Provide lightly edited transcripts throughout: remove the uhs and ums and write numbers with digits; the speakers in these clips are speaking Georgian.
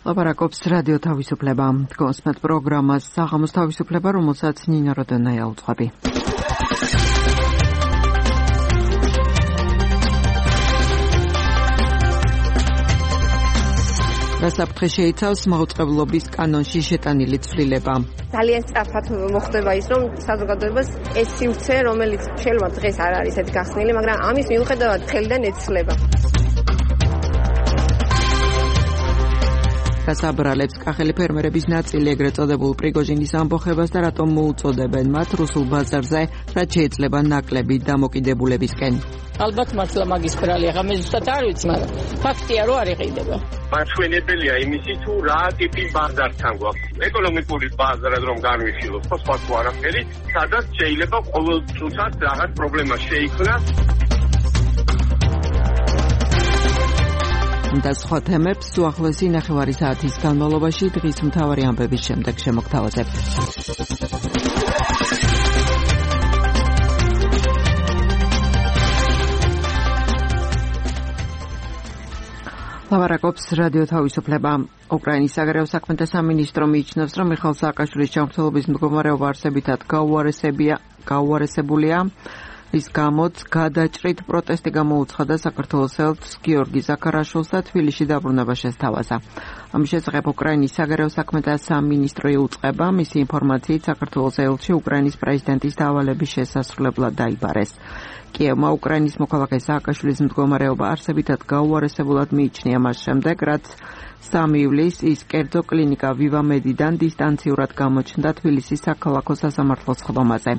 ლაპარაკობს რადიო თავისუფლება. გოსმეთ პროგრამას საღამოს თავისუფლება, რომელსაც ნინა როდონაია უძღვები. დასაფრთხე შეიცავს მაუწყებლობის კანონში შეტანილი ცვლილება. ძალიან სწრაფად მოხდება ის, რომ საზოგადოებას ეს სივრცე, რომელიც შეიძლება დღეს არ არის ეს გახსნილი, მაგრამ ამის მიუხედავად ხელიდან ეცლება. გასაბრალებს კახელი ფერმერების ნაწილი ეგრეთ წოდებულ პრიგოჟინის ამბოხებას და რატომ მოუწოდებენ მათ რუსულ ბაზარზე, რაც შეიძლება ნაკლები დამოკიდებულებისკენ. ალბათ მართლა მაგის ბრალი, ახლა მე ზუსტად არ ვიცი, მაგრამ ფაქტია, რომ არ იყიდება. მაჩვენებელია იმისი, თუ რა ტიპის ბაზართან გვაქვს. ეკონომიკური ბაზარად რომ განვიხილოთ, ხო სხვა თუ არაფერი, სადაც შეიძლება ყოველ წუთად რაღაც პრობლემა შეიქმნას. და სხვა თემებს უახლოესი ნახევარი საათის განმავლობაში დღის მთავარი ამბების შემდეგ შემოგთავაზებთ. ლაპარაკობს რადიო თავისუფლება. უკრაინის საგარეო საქმეთა სამინისტრო მიიჩნევს, რომ მიხეილ სააკაშვილის ჯანმრთელობის მდგომარეობა არსებითად გაუარესებულია. ის გამოც გადაჭრით პროტესტი გამოუცხადა საქართველოს ელჩს გიორგი ზაქარაშვილს და თბილისში დაბრუნება შესთავაზა. ამის შესახებ უკრაინის საგარეო საქმეთა სამინისტრო იუწყება, მისი ინფორმაციით საქართველოს ელჩი უკრაინის პრეზიდენტის დავალების შესასრულებლად დაიბარეს. კიევმა უკრაინის მოქალაქე სააკაშვილის მდგომარეობა არსებითად გაუარესებულად მიიჩნია მას შემდეგ, რაც 3 ივლისს ის კერძო კლინიკა ვივამედიდან დისტანციურად გამოჩნდა თბილისის საქალაქო სასამართლოს ხდომაზე.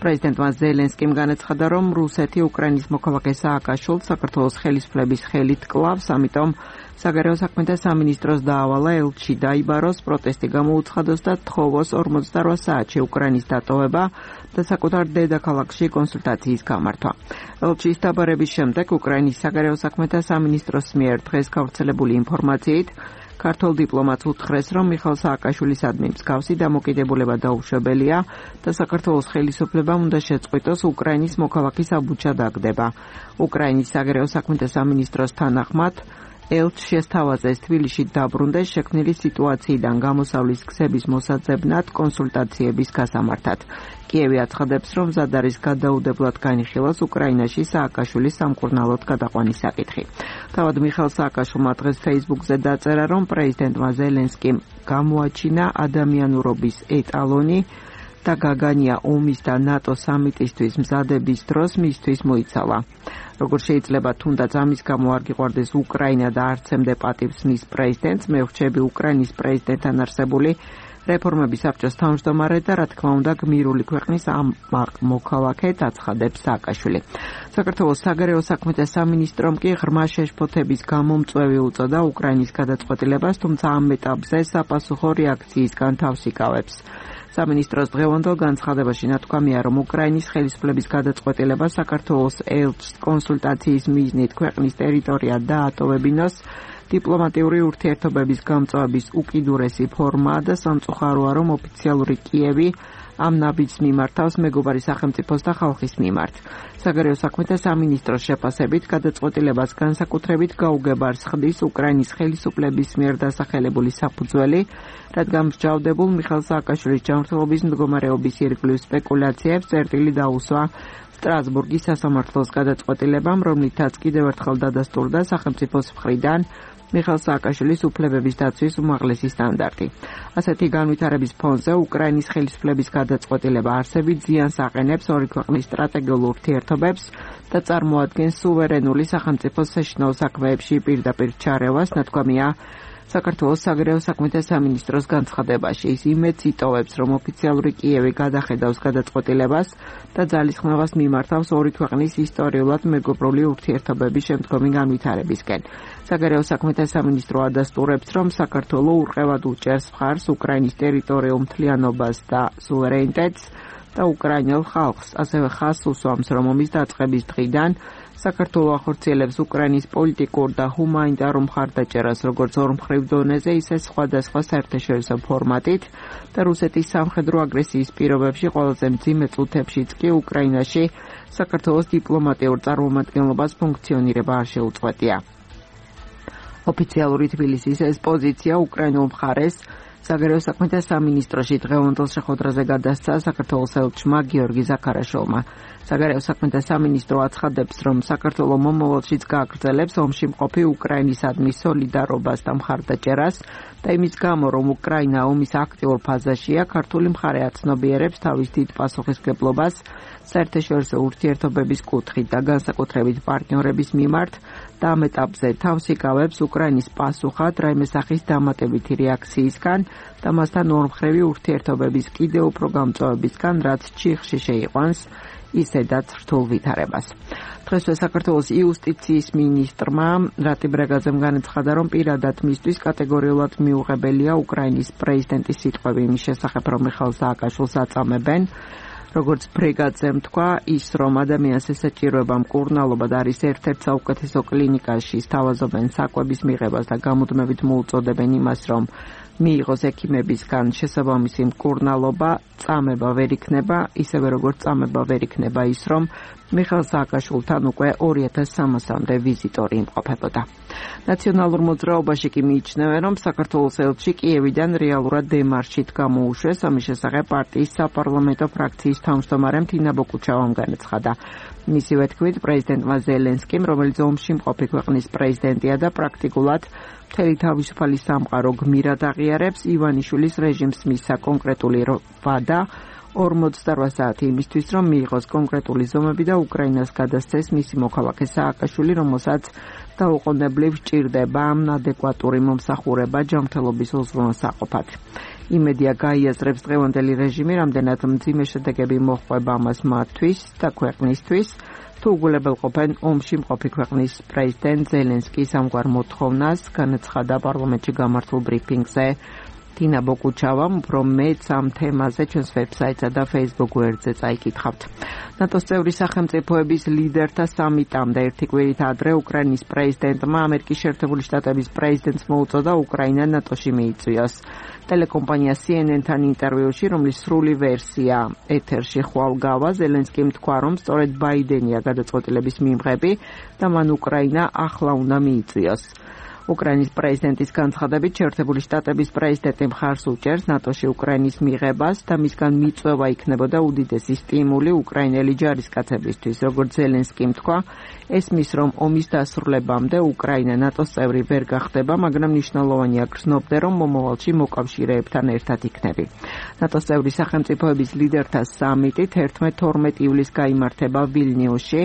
პრეზიდენტმა ზელენსკიმ განაცხადა, რომ რუსეთი უკრაინის მოქალაქე სააკაშვილს საქართველოს ხელისუფლების ხელით კლავს, ამიტომ საგარეო საქმეთა სამინისტროს დაავალა ელჩი დაიბაროს, პროტესტი გამოუცხადოს და თხოვოს 48 საათში უკრაინის დატოვება და საკუთარ დედაქალაქში კონსულტაციის გამართვა. ელჩის დაბარების შემდეგ უკრაინის საგარეო საქმეთა სამინისტროს მიერ დღეს გავრცელებული ინფორმაციით ქართულ დიპლომატს უთხრეს, რომ მიხეილ სააკაშვილისადმი მსგავსი დამოკიდებულება დაუშვებელია და საქართველოს ხელისუფლებამ უნდა შეწყვიტოს უკრაინის მოქალაქის აბუჩა დაგდება. უკრაინის საგარეო საქმეთა სამინისტროს თანახმად ელჩს შესთავაზეს თბილისში დაბრუნდეს შექმნილი სიტუაციიდან გამოსავლის გზების მოსაძებნად კონსულტაციების გასამართად. კიევი აცხადებს, რომ მზად არის გადაუდებლად განიხილოს უკრაინაში სააკაშვილის სამკურნალოდ გადაყვანის საკითხი. თავად მიხეილ სააკაშვილმა დღეს Facebook-ზე დაწერა, რომ პრეზიდენტმა ზელენსკიმ გამოაჩინა ადამიანურობის ეტალონი და გაგანია ომის და ნატო სამიტისთვის მზადების დროს მისთვის მოიცალა. როგორ შეიძლება თუნდაც ამის გამო არ გიყვარდეს უკრაინა და არ ცემდე პატივს მის პრეზიდენტს, მე ვრჩები უკრაინის პრეზიდენტთან არსებული რეფორმების საბჭოს თავმჯდომარე და რა თქმა უნდა გმირული ქვეყნის მოქალაქედ აცხადებს სააკაშვილი. საქართველოს საგარეო საქმეთა სამინისტრომ კი ღრმა შეშფოთების გამომწვევი უწოდა უკრაინის გადაწყვეტილებას, თუმცა ამ ეტაპზე საფასუხო რეაქციისგან თავს იკავებს. სამინისტროს დღევანდელ განცხადებაში ნათქვამია, რომ უკრაინის ხელისუფლების გადაწყვეტილება საქართველოს ელჩს კონსულტაციის მიზნით ქვეყნის ტერიტორია დაატოვებინოს დიპლომატიური ურთიერთობების გამწვავების უკიდურესი ფორმაა და სამწუხაროა, რომ ოფიციალური კიევი ამ ნაბიჯს მიმართავს მეგობარი სახელმწიფოს და ხალხის მიმართ. საგარეო საქმეთა სამინისტროს შეფასებით გადაწყვეტილებას განსაკუთრებით გაუგებარს ხდის უკრაინის ხელისუფლების მიერ დასახელებული საფუძველი, რადგან მსჯავრდებულ მიხეილ სააკაშვილის ჯანმრთელობის მდგომარეობის ირგვლივ სპეკულაციებს წერტილი დაუსვა სტრასბურგის სასამართლოს გადაწყვეტილებამ, რომლითაც კიდევ ერთხელ დადასტურდა სახელმწიფოს მხრიდან მიხეილ სააკაშვილის უფლებების დაცვის უმაღლესი სტანდარტი. ასეთი განვითარების ფონზე უკრაინის ხელისუფლების გადაწყვეტილება არსებით ზიანს აყენებს ორი ქვეყნის სტრატეგიულ ურთიერთობებს და წარმოადგენს სუვერენული სახელმწიფოს საშინაო საქმეებში პირდაპირ ჩარევას, ნათქვამია საქართველოს საგარეო საქმეთა სამინისტროს განცხადებაში. ის იმედს იტოვებს, რომ ოფიციალური კიევი გადახედავს გადაწყვეტილებას და ძალისხმევას მიმართავს ორი ქვეყნის ისტორიულად მეგობრული ურთიერთობების შემდგომი განვითარებისკენ. საგარეო საქმეთა სამინისტრო ადასტურებს, რომ საქართველო ურყევად უჭერს მხარს უკრაინის ტერიტორიულ მთლიანობას და სუვერენიტეტს და უკრაინელ ხალხს, ასევე ხაზს უსვამს, რომ ომის დაწყების დღიდან საქართველო ახორციელებს უკრაინის პოლიტიკურ და ჰუმანიტარულ მხარდაჭერას როგორც ორმხრივ დონეზე, ისე სხვადასხვა საერთაშორისო ფორმატით და რუსეთის სამხედრო აგრესიის პირობებში ყველაზე მძიმე წუთებშიც კი უკრაინაში საქართველოს დიპლომატიურ წარმომადგენლობას ფუნქციონირება არ შეუწყვეტია. ოფიციალური თბილისის ეს პოზიცია უკრაინულ მხარეს საგარეო საქმეთა სამინისტროში დღევანდელ შეხვედრაზე გადასცა საქართველოს ელჩმა გიორგი ზაქარაშვილმა. საგარეო საქმეთა სამინისტრო აცხადებს, რომ საქართველო მომავალშიც გააგრძელებს ომში მყოფი უკრაინისადმი სოლიდარობას და მხარდაჭერას და იმის გამო, რომ უკრაინა ომის აქტიურ ფაზაშია, ქართული მხარე აცნობიერებს თავის დიდ პასუხისმგებლობას საერთაშორისო ურთიერთობების კუთხით და განსაკუთრებით პარტნიორების მიმართ და ამ ეტაპზე თავს იკავებს უკრაინის პასუხად რაიმე სახის დამატებითი რეაქციისგან და მასთან ორმხრივი ურთიერთობების კიდევ უფრო გამწვავებისგან, რაც ჩიხში შეიყვანს ისედაც რთულ ვითარებას. დღესვე საქართველოს იუსტიციის მინისტრმა რატი ბრეგაძემ განაცხადა, რომ პირადად მისთვის კატეგორიულად მიუღებელია უკრაინის პრეზიდენტის სიტყვები იმის შესახებ, რომ მიხაილ სააკაშვილს აწამებენ. როგორც ბრეგაძემ თქვა, ის რომ ადამიანს ესაჭიროება მკურნალობა და არის ერთ-ერთ საუკეთესო კლინიკაში სთავაზობენ საკვების მიღებას და გამუდმებით მოუწოდებენ იმას, რომ მიიღოს ექიმებისგან შესაბამისი მკურნალობა, წამება ვერ იქნება, ისევე როგორც წამება ვერ იქნება ის, რომ მიხაილ სააკაშვილთან უკვე 2300-მდე ვიზიტორი იმყოფებოდა. ნაციონალურ მოძრაობაში კი მიიჩნევენ, რომ საქართველოს ელჩი კიევიდან რეალურად დემარშით გამოუშვეს, ამის შესახებ პარტიის საპარლამენტო ფრაქციის თავმჯდომარემ თინა ბოკუჩავამ განაცხადა. მისივე თქმით, პრეზიდენტმა ზელენსკიმ, რომელიც ომში მყოფი ქვეყნის პრეზიდენტია და პრაქტიკულად მთელი თავისუფალი სამყარო გმირად აღიარებს, ივანიშვილის რეჟიმს მისცა კონკრეტული ვადა 48 საათი იმისთვის, რომ მიიღოს კონკრეტული ზომები და უკრაინას გადასცეს მისი მოქალაქე სააკაშვილი, რომელსაც დაუყოვნებლივ სჭირდება ადეკვატური მომსახურება ჯანმრთელობის უზრუნველსაყოფად. იმედია გაიაზრებს დღევანდელი რეჟიმი, რამდენად მძიმე შედეგები მოჰყვება ამას მათთვის და ქვეყნისთვის, თუ უგულებელყოფენ ომში მყოფი ქვეყნის პრეზიდენტ ზელენსკის ამგვარ მოთხოვნას, განაცხადა პარლამენტში გამართულ ბრიფინგზე თინა ბოკუჩავამ, უფრო მეც ამ თემაზე ჩვენს ვებსაიტსა და Facebook გვერდზე წაიკითხავთ. ნატოს წევრი სახელმწიფოების ლიდერთა სამიტამდე ერთი კვირით ადრე უკრაინის პრეზიდენტმა ამერიკის შეერთებული შტატების პრეზიდენტს მოუწოდა უკრაინა ნატოში მიიწვიოს. ტელეკომპანია CNN-თან ინტერვიუში, რომლის სრული ვერსია ეთერში ხვალ გავა, ზელენსკიმ თქვა, რომ სწორედ ბაიდენია გადაწყვეტილების მიმღები და მან უკრაინა ახლა უნდა მიიწვიოს. უკრაინის პრეზიდენტის განცხადებით, შეერთებული შტატების პრეზიდენტი მხარს უჭერს ნატოში უკრაინის მიღებას და მისგან მიწვევა იქნებოდა უდიდესი სტიმული უკრაინელი ჯარისკაცებისთვის. როგორც ზელენსკიმ თქვა, ესმის, რომ ომის დასრულებამდე უკრაინა ნატოს წევრი ვერ გახდება, მაგრამ მნიშვნელოვანია გრძნობდე, რომ მომავალში მოკავშირეებთან ერთად იქნები. ნატოს წევრი სახელმწიფოების ლიდერთა სამიტი 11-12 ივლისს გაიმართება ვილნიუსში.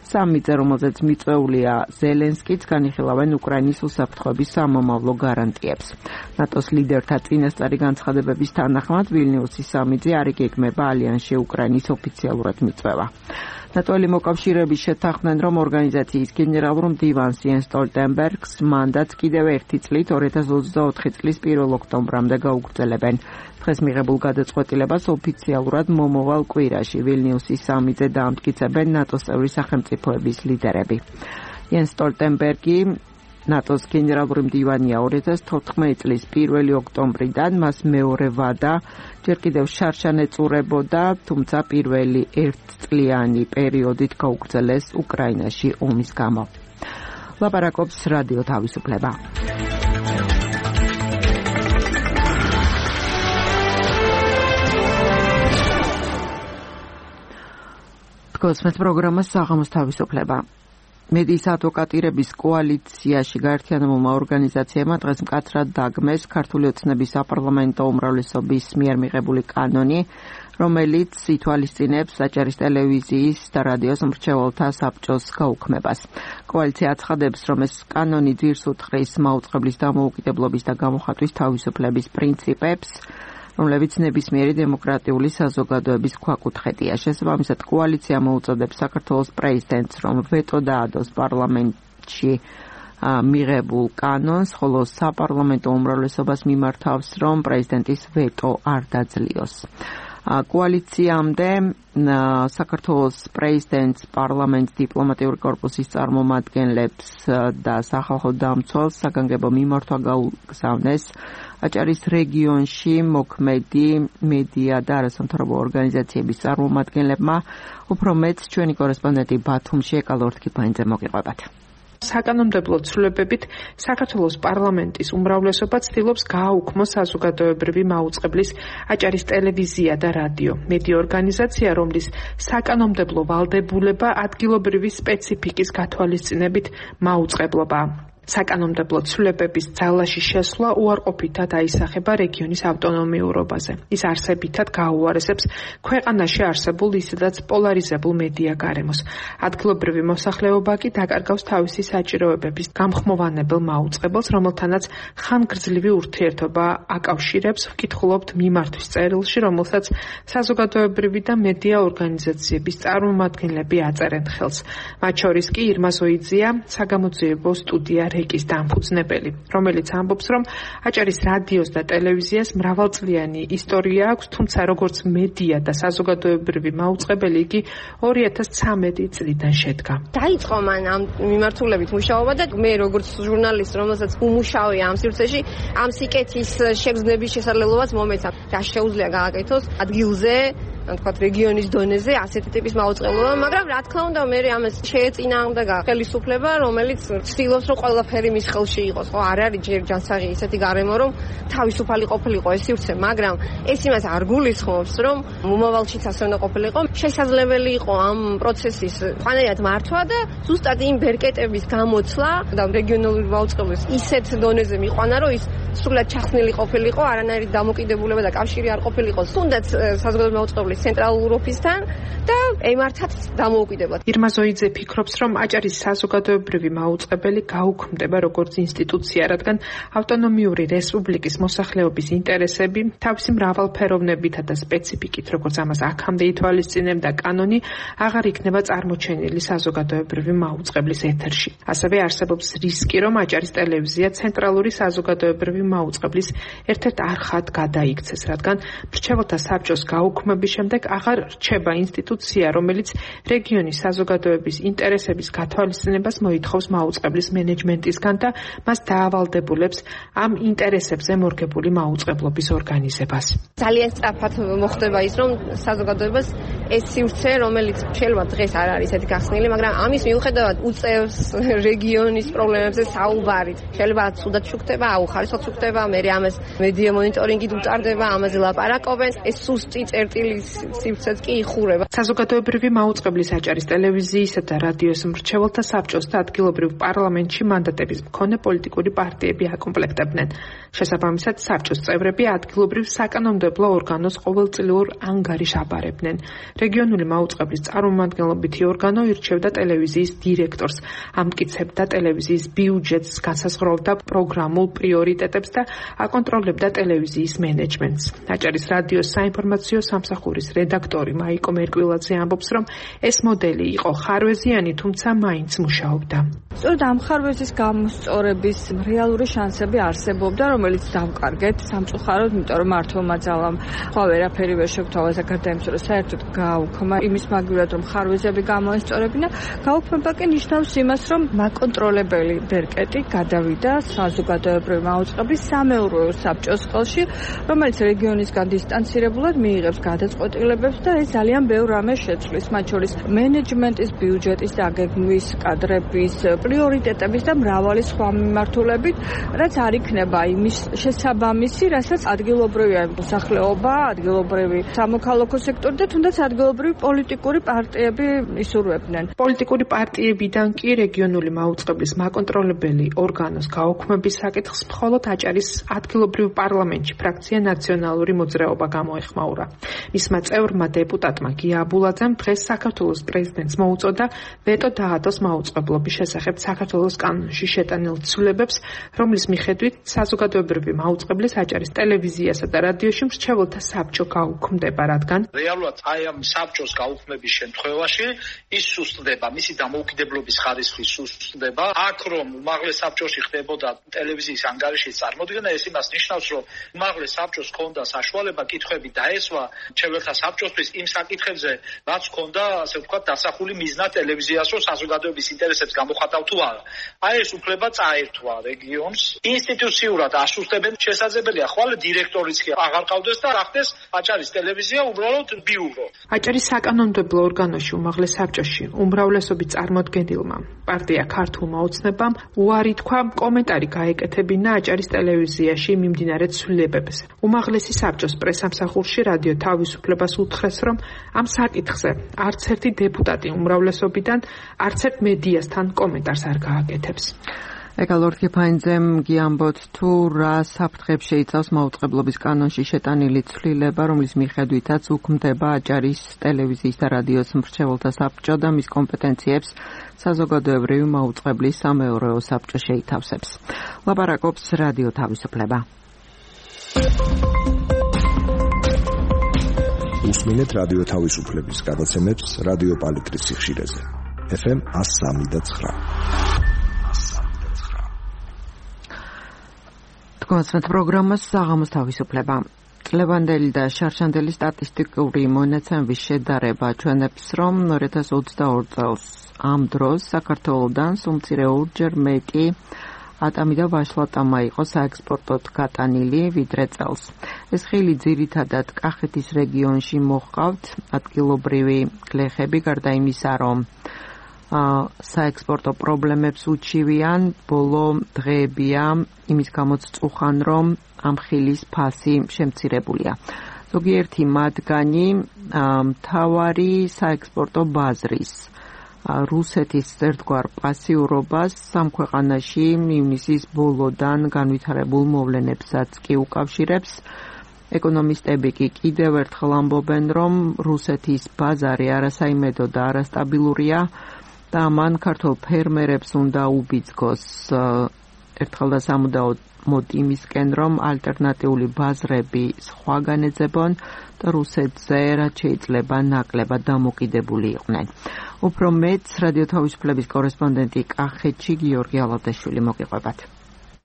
სამიტზე, რომელზეც მიწვეულია ზელენსკიც, განიხილავენ უკრაინის უსაფრთხოების სამომავლო გარანტიებს. ნატოს ლიდერთა წინასწარი განცხადებების თანახმად, ვილნიუსის სამიტზე არ იგეგმება ალიანსში უკრაინის ოფიციალურად მიწვევა. ნატოელი მოკავშირეები შეთანხმდნენ, რომ ორგანიზაციის გენერალურ მდივანს იენს სტოლტენბერგს მანდატს კიდევ ერთი წლით 2024 წლის 1 ოქტომბრამდე გაუგრძელებენ. დღეს მიღებულ გადაწყვეტილებას ოფიციალურად მომავალ კვირაში ვილნიუსის სამიტზე დაამტკიცებენ ნატოს წევრი სახელმწიფოების ლიდერები. იენს სტოლტენბერგი ნატოს გენერალური მდივანია 2014 წლის 1 ოქტომბრიდან, მას მეორე ვადა ჯერ კიდევ შარშან ეწურებოდა, თუმცა პირველი ერთწლიანი პერიოდით გაუგრძელეს უკრაინაში ომის გამო. ლაპარაკობს რადიო თავისუფლება. გოსმეთ პროგრამას საღამოს თავისუფლება. მედიის ადვოკატირების კოალიციაში გაერთიანებულმა ორგანიზაციებმა დღეს მკაცრად დაგმეს ქართული ოცნების საპარლამენტო უმრავლესობის მიერ მიღებული კანონი, რომელიც ითვალისწინებს საჭირის ტელევიზიის და რადიოს მრჩეველთა საბჭოს გაუქმებას. კოალიცია აცხადებს, რომ ეს კანონი ძირს უთხრის მაუწყებლის დამოუკიდებლობის და გამოხატვის თავისუფლების პრინციპებს, რომლებიც ნებისმიერი დემოკრატიული საზოგადოების ქვაკუთხედია. შესაბამისად, კოალიცია მოუწოდებს საქართველოს პრეზიდენტს, რომ ვეტო დაადოს პარლამენტში მიღებულ კანონს, ხოლო საპარლამენტო უმრავლესობას მიმართავს, რომ პრეზიდენტის ვეტო არ დაძლიოს. კოალიციამდე საქართველოს პრეზიდენტს, პარლამენტს, დიპლომატიური კორპუსის წარმომადგენლებს და სახალხო დამცველს საგანგებო მიმართვა გაუგზავნეს აჭარის რეგიონში მოქმედი მედია და არასამთავრობო ორგანიზაციების წარმომადგენლებმა. უფრო მეც ჩვენი კორესპონდენტი ბათუმში ეკალორთქიფანიძე მოგიყვებათ. საკანონმდებლო ცვლილებებით საქართველოს პარლამენტის უმრავლესობა ცდილობს გააუქმოს საზოგადოებრივი მაუწყებლის აჭარის ტელევიზია და რადიო. მედია ორგანიზაცია, რომლის საკანონმდებლო ვალდებულება ადგილობრივი სპეციფიკის გათვალისწინებით მაუწყებლობაა. საკანონმდებლო ცვლილებების ძალაში შესვლა უარყოფითად აისახება რეგიონის ავტონომიურობაზე. ის არსებითად გაუარესებს ქვეყანაში არსებულ ისედაც პოლარიზებულ მედია გარემოს. ადგილობრივი მოსახლეობა კი დაკარგავს თავისი საჭიროებების გამხმოვანებელ მაუწყებელს, რომელთანაც ხანგრძლივი ურთიერთობა აკავშირებს, ვკითხულობთ მიმართვის წერილში, რომელსაც საზოგადოებრივი და მედია ორგანიზაციების წარმომადგენლები აწერენ ხელს. მათ შორის კი ირმა ზოიძეა, საგამოძიებო სტუდია რეკის დამფუძნებელი, რომელიც ამბობს, რომ აჭარის რადიოს და ტელევიზიას მრავალწლიანი ისტორია აქვს, თუმცა როგორც მედია და საზოგადოებრივი მაუწყებელი იგი 2013 წლიდან შედგა. დაიწყო მან ამ მიმართულებით მუშაობა და მე როგორც ჟურნალისტი, რომელსაც უმუშავია ამ სივრცეში, ამ სიკეთის შეგრძნების შესაძლებლობაც მომეცა. და შეუძლია გააკეთოს ადგილზე, თქვათ რეგიონის დონეზე ასეთი ტიპის მაუწყებლობა, მაგრამ რა თქმა უნდა მე ამას შეეწინააღმდეგა ხელისუფლება, რომელიც ცდილობს რომ ყველაფერი მის ხელში იყოს. ხო, არ არის ჯერ ჯანსაღი ისეთი გარემო, რომ თავისუფალი ყოფილიყო ეს სივრცე, მაგრამ ეს იმას არ გულისხმობს, რომ მომავალშიც ასე უნდა ყოფილიყო. შესაძლებელი იყო ამ პროცესის ყანაერად მართვა და ზუსტად იმ ბერკეტების გამოცლა და რეგიონალური მაუწყებლის ისეთ დონეზე მიყვანა, რომ ის სრულად ჩახსნილი ყოფილიყო, არანაირი დამოკიდებულება და კავშირი არ ყოფილიყო. თუნდაც საზოგადოებრივი მაუწყებლის ცენტრალურ ოფისთან და ემართათ დამოუკიდებლად. ირმა ზოიძე ფიქრობს, რომ აჭარის საზოგადოებრივი მაუწყებელი გაუქმდება როგორც ინსტიტუცია, რადგან ავტონომიური რესპუბლიკის მოსახლეობის ინტერესები თავისი მრავალფეროვნებითა და სპეციფიკით, როგორც ამას აქამდე ითვალისწინებდა კანონი, აღარ იქნება წარმოჩენილი საზოგადოებრივი მაუწყებლის ეთერში. ასევე არსებობს რისკი, რომ აჭარის ტელევიზია ცენტრალური საზოგადოებრივი მაუწყებლის ერთ-ერთ არხად გადაიქცეს, რადგან მრჩეველთა საბჭოს გაუქმების შემდეგ აღარ რჩება ინსტიტუცია, რომელიც რეგიონის საზოგადოების ინტერესების გათვალისწინებას მოითხოვს მაუწყებლის მენეჯმენტისგან და მას დაავალდებულებს ამ ინტერესებზე მორგებული მაუწყებლობის ორგანიზებას. ძალიან სწრაფად მოხდება ის, რომ საზოგადოებას ეს სივრცე, რომელიც შეიძლება დღეს არ არის ესეთი გახსნილი, მაგრამ ამის მიუხედავად უწევს რეგიონის პრობლემებზე საუბარით. შეიძლება ცუდად შუქდება, აუხარისოდ შუქდება, მე ამას მედია მონიტორინგით უტარდება, ამაზე ლაპარაკობენ. ეს სუსტი წერტილი სივრცეც კი იხურება. საზოგადოებრივი მაუწყებლის აჭარის ტელევიზიისა და რადიოს მრჩეველთა საბჭოს და ადგილობრივ პარლამენტში მანდატების მქონე პოლიტიკური პარტიები აკომპლექტებდნენ. შესაბამისად, საბჭოს წევრები ადგილობრივ საკანონმდებლო ორგანოს ყოველწლიურ ანგარიშს აბარებდნენ. რეგიონული მაუწყებლის წარმომადგენლობითი ორგანო ირჩევდა ტელევიზიის დირექტორს, ამტკიცებდა ტელევიზიის ბიუჯეტს, განსაზღვრავდა პროგრამულ პრიორიტეტებს და აკონტროლებდა ტელევიზიის მენეჯმენტს. აჭარის რადიოს საინფორმაციო სამსახურის რედაქტორი მაიკო მერკვილაძე ამბობს, რომ ეს მოდელი იყო ხარვეზიანი, თუმცა მაინც მუშაობდა. სწორედ ამ ხარვეზის გამოსწორების რეალური შანსები არსებობდა, რომელიც დავკარგეთ სამწუხაროდ, იმიტომ რომ მართლმა ძალამ სხვა ვერაფერი ვერ შეგვთავაზა გარდა იმისა, რომ საერთოდ გააუქმა იმის მაგივრად, რომ ხარვეზები გამოესწორებინა. გაუქმება კი ნიშნავს იმას, რომ მაკონტროლებელი ბერკეტი გადავიდა საზოგადოებრივი მაუწყებლის სამეურვეო საბჭოს ხელში, რომელიც რეგიონისგან დისტანცირებულად მიიღებს გადაწყვეტილებებს და ეს ძალიან ბევრ რამეს შეცვლის, მათ შორის მენეჯმენტის, ბიუჯეტის დაგეგმვის, კადრების, პრიორიტეტების და მრავალი სხვა მიმართულებით, რაც არ იქნება იმის შესაბამისი, რასაც ადგილობრივი მოსახლეობა, ადგილობრივი სამოქალაქო სექტორი და თუნდაც ადგილობრივი პოლიტიკური პარტიები ისურვებდნენ. პოლიტიკური პარტიებიდან კი რეგიონული მაუწყებლის მაკონტროლებელი ორგანოს გაუქმების საკითხს მხოლოდ აჭარის ადგილობრივ პარლამენტში ფრაქცია ნაციონალური მოძრაობა გამოეხმაურა. მისმა წევრმა დეპუტატმა გია აბულაძემ დღეს საქართველოს პრეზიდენტს მოუწოდა ვეტო დაადოს მაუწყებლობის შესახებ საქართველოს კანონში შეტანილ ცვლილებებს, რომლის მიხედვით საზოგადოებრივი მაუწყებლის აჭარის ტელევიზიასა და რადიოში მრჩეველთა საბჭო გაუქმდება, რადგან რეალურად აი ამ საბჭოს გაუქმების შემთხვევაში ის სუსტდება, მისი დამოუკიდებლობის ხარისხი სუსტდება. აქ რომ უმაღლეს საბჭოში ხდებოდა ტელევიზიის ანგარიშის წარმოდგენა, ეს იმას ნიშნავს, რომ უმაღლეს საბჭოს ჰქონდა საშუალება კითხვები დაესვა მრჩეველთა მუშაობათა საბჭოსთვის იმ საკითხებზე, რაც ჰქონდა, ასე ვთქვათ, დასახული მიზნად ტელევიზიას, რომ საზოგადოების ინტერესებს გამოხატავ თუ არა. აი ეს უფლება წაერთვა რეგიონს. ინსტიტუციურად ასუსტებენ, შესაძლებელია ხვალ დირექტორიც კი აღარ ყავდეს და ახდეს აჭარის ტელევიზია უბრალოდ ბიურო. აჭარის საკანონმდებლო ორგანოში უმაღლეს საბჭოში უმრავლესობის წარმოდგენილმა პარტია ქართულმა ოცნებამ უარი თქვა კომენტარი გაეკეთებინა აჭარის ტელევიზიაში მიმდინარე ცვლილებებს. უმაღლესი საბჭოს პრესამსახურში რადიო თავისუფლებას უთხრეს, რომ ამ საკითხზე არც ერთი დეპუტატი უმრავლესობიდან არც ერთ მედიასთან კომენტარს არ გააკეთებს. ეკალორ კიფაინძემ გიამბოთ თუ რა საფრთხებს შეიცავს მაუწყებლობის კანონში შეტანილი ცვლილება, რომლის მიხედვითაც უქმდება აჭარის ტელევიზიის და რადიოს მრჩეველთა საბჭო და მის კომპეტენციებს საზოგადოებრივი მაუწყებლის სამეურვეო საბჭო შეითავსებს. ლაპარაკობს რადიო თავისუფლება. უსმინეთ რადიო თავისუფლების გადაცემებს რადიო პალიტრის სიხშირეზე. FM 103.9. თქვენს პროგრამას საღამოს თავისუფლება. წლევანდელი და შარშანდელი სტატისტიკური მონაცემების შედარება ჩვენებს, რომ 2022 წელს ამ დროს საქართველოდან სულ ორჯერ მეტი ატამი და ვაშლატამა იყო საექსპორტოდ გატანილი ვიდრე წელს. ეს ხილი ძირითადად კახეთის რეგიონში მოჰყავთ ადგილობრივი გლეხები, გარდა იმისა, რომ საექსპორტო პრობლემებს უჩივიან, ბოლო დღეებია იმის გამოც წუხან, რომ ამ ხილის ფასი შემცირებულია. ზოგიერთი მათგანი მთავარი საექსპორტო ბაზრის რუსეთის ერთგვარ პასიურობას სამ ქვეყანაში ივნისის ბოლოდან განვითარებულ მოვლენებსაც კი უკავშირებს. ეკონომისტები კი კიდევ ერთხელ ამბობენ, რომ რუსეთის ბაზარი არასაიმედო და არასტაბილურია და მან ქართულ ფერმერებს უნდა უბიძგოს ერთხელ და სამუდაოდ იმისკენ, რომ ალტერნატიული ბაზრები სხვაგან ეძებონ და რუსეთზე რაც შეიძლება ნაკლებად დამოკიდებული იყვნენ. უფრო მეც რადიო თავისუფლების კორესპონდენტი კახეთში გიორგი ალავდაშვილი მოგიყვებათ.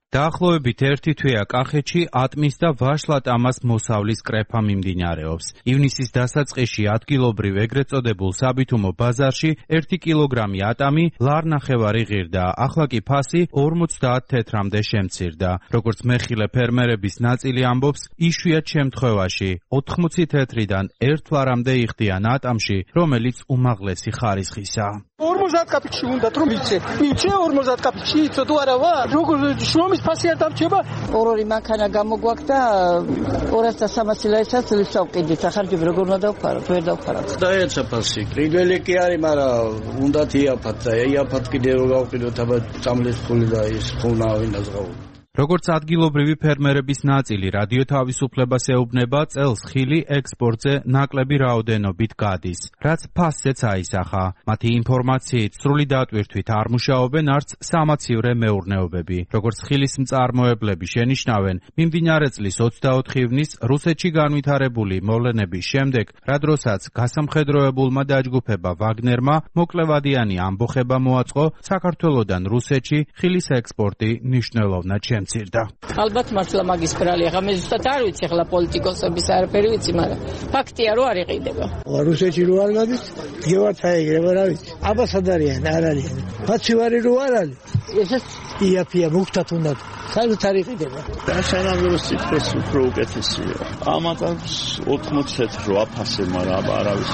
დაახლოებით ერთი თვეა კახეთში ატმის და ვაშლატამას მოსავლის კრეფა მიმდინარეობს. ივნისის დასაწყისში ადგილობრივ ეგრეთ წოდებულ საბითუმო ბაზარში 1 კილოგრამი ატამი ლარნახევარი ღირდა, ახლა კი ფასი 50 თეთრამდე შემცირდა. როგორც მეხილე ფერმერების ნაწილი ამბობს, იშვიათ შემთხვევაში 80 თეთრიდან 1 ლარამდე იხდიან ატამში, რომელიც უმაღლესი ხარისხისაა. 50 კაპიკში უნდა რომ მიცე 50 კაპიკში იცო თუ არა ვარ როგორ შრომის ფასი არ დამრჩება ორი მანქანა გამოგვაქვს და 200-300 ლარისაც ვისავყიდით ახარჯები როგორ უნდა დავფარო ვერ დავფარო დაეცა ფასი კრიდველი კი არის მაგრამ უნდა იაფათ და იაფათ კიდე რო გავყიდოთ აბა წამლის ფული და ის ხუნა ვინდაზღაო როგორც ადგილობრივი ფერმერების ნაწილი რადიო თავისუფლებას ეუბნება, წელს ხილი ექსპორტზე ნაკლები რაოდენობით გადის, რაც ფასზეც აისახა. მათი ინფორმაციით სრული დატვირთვით არ მუშაობენ არც სამაცივრე მეურნეობები. როგორც ხილის მწარმოებლები შენიშნავენ, მიმდინარე წლის 24 ივნის რუსეთში განვითარებული მოვლენების შემდეგ, რა დროსაც გასამხედროებულმა დაჯგუფება ვაგნერმა მოკლევადიანი ამბოხება მოაწყო, საქართველოდან რუსეთში ხილის ექსპორტი მნიშვნელოვნად შემცირდა. ალბათ მართლა მაგის ბრალი, ახლა მე ზუსტად არ ვიცი, ახლა პოლიტიკოსების არაფერი ვიცი, მაგრამ ფაქტია რომ არ იყიდება. რუსეთში რო არ გადის, გევართ აიგრება რა ვიცი. აბასად არიან, არ არიან. ფაცივარი რო არ არის. ესეც იაფია მუქთად უნდა. საერთოდ არ იყიდება. და სანამ სიტყვის უფრო უკეთესია. ამათაც 80 რო აფასე, მაგრამ არავის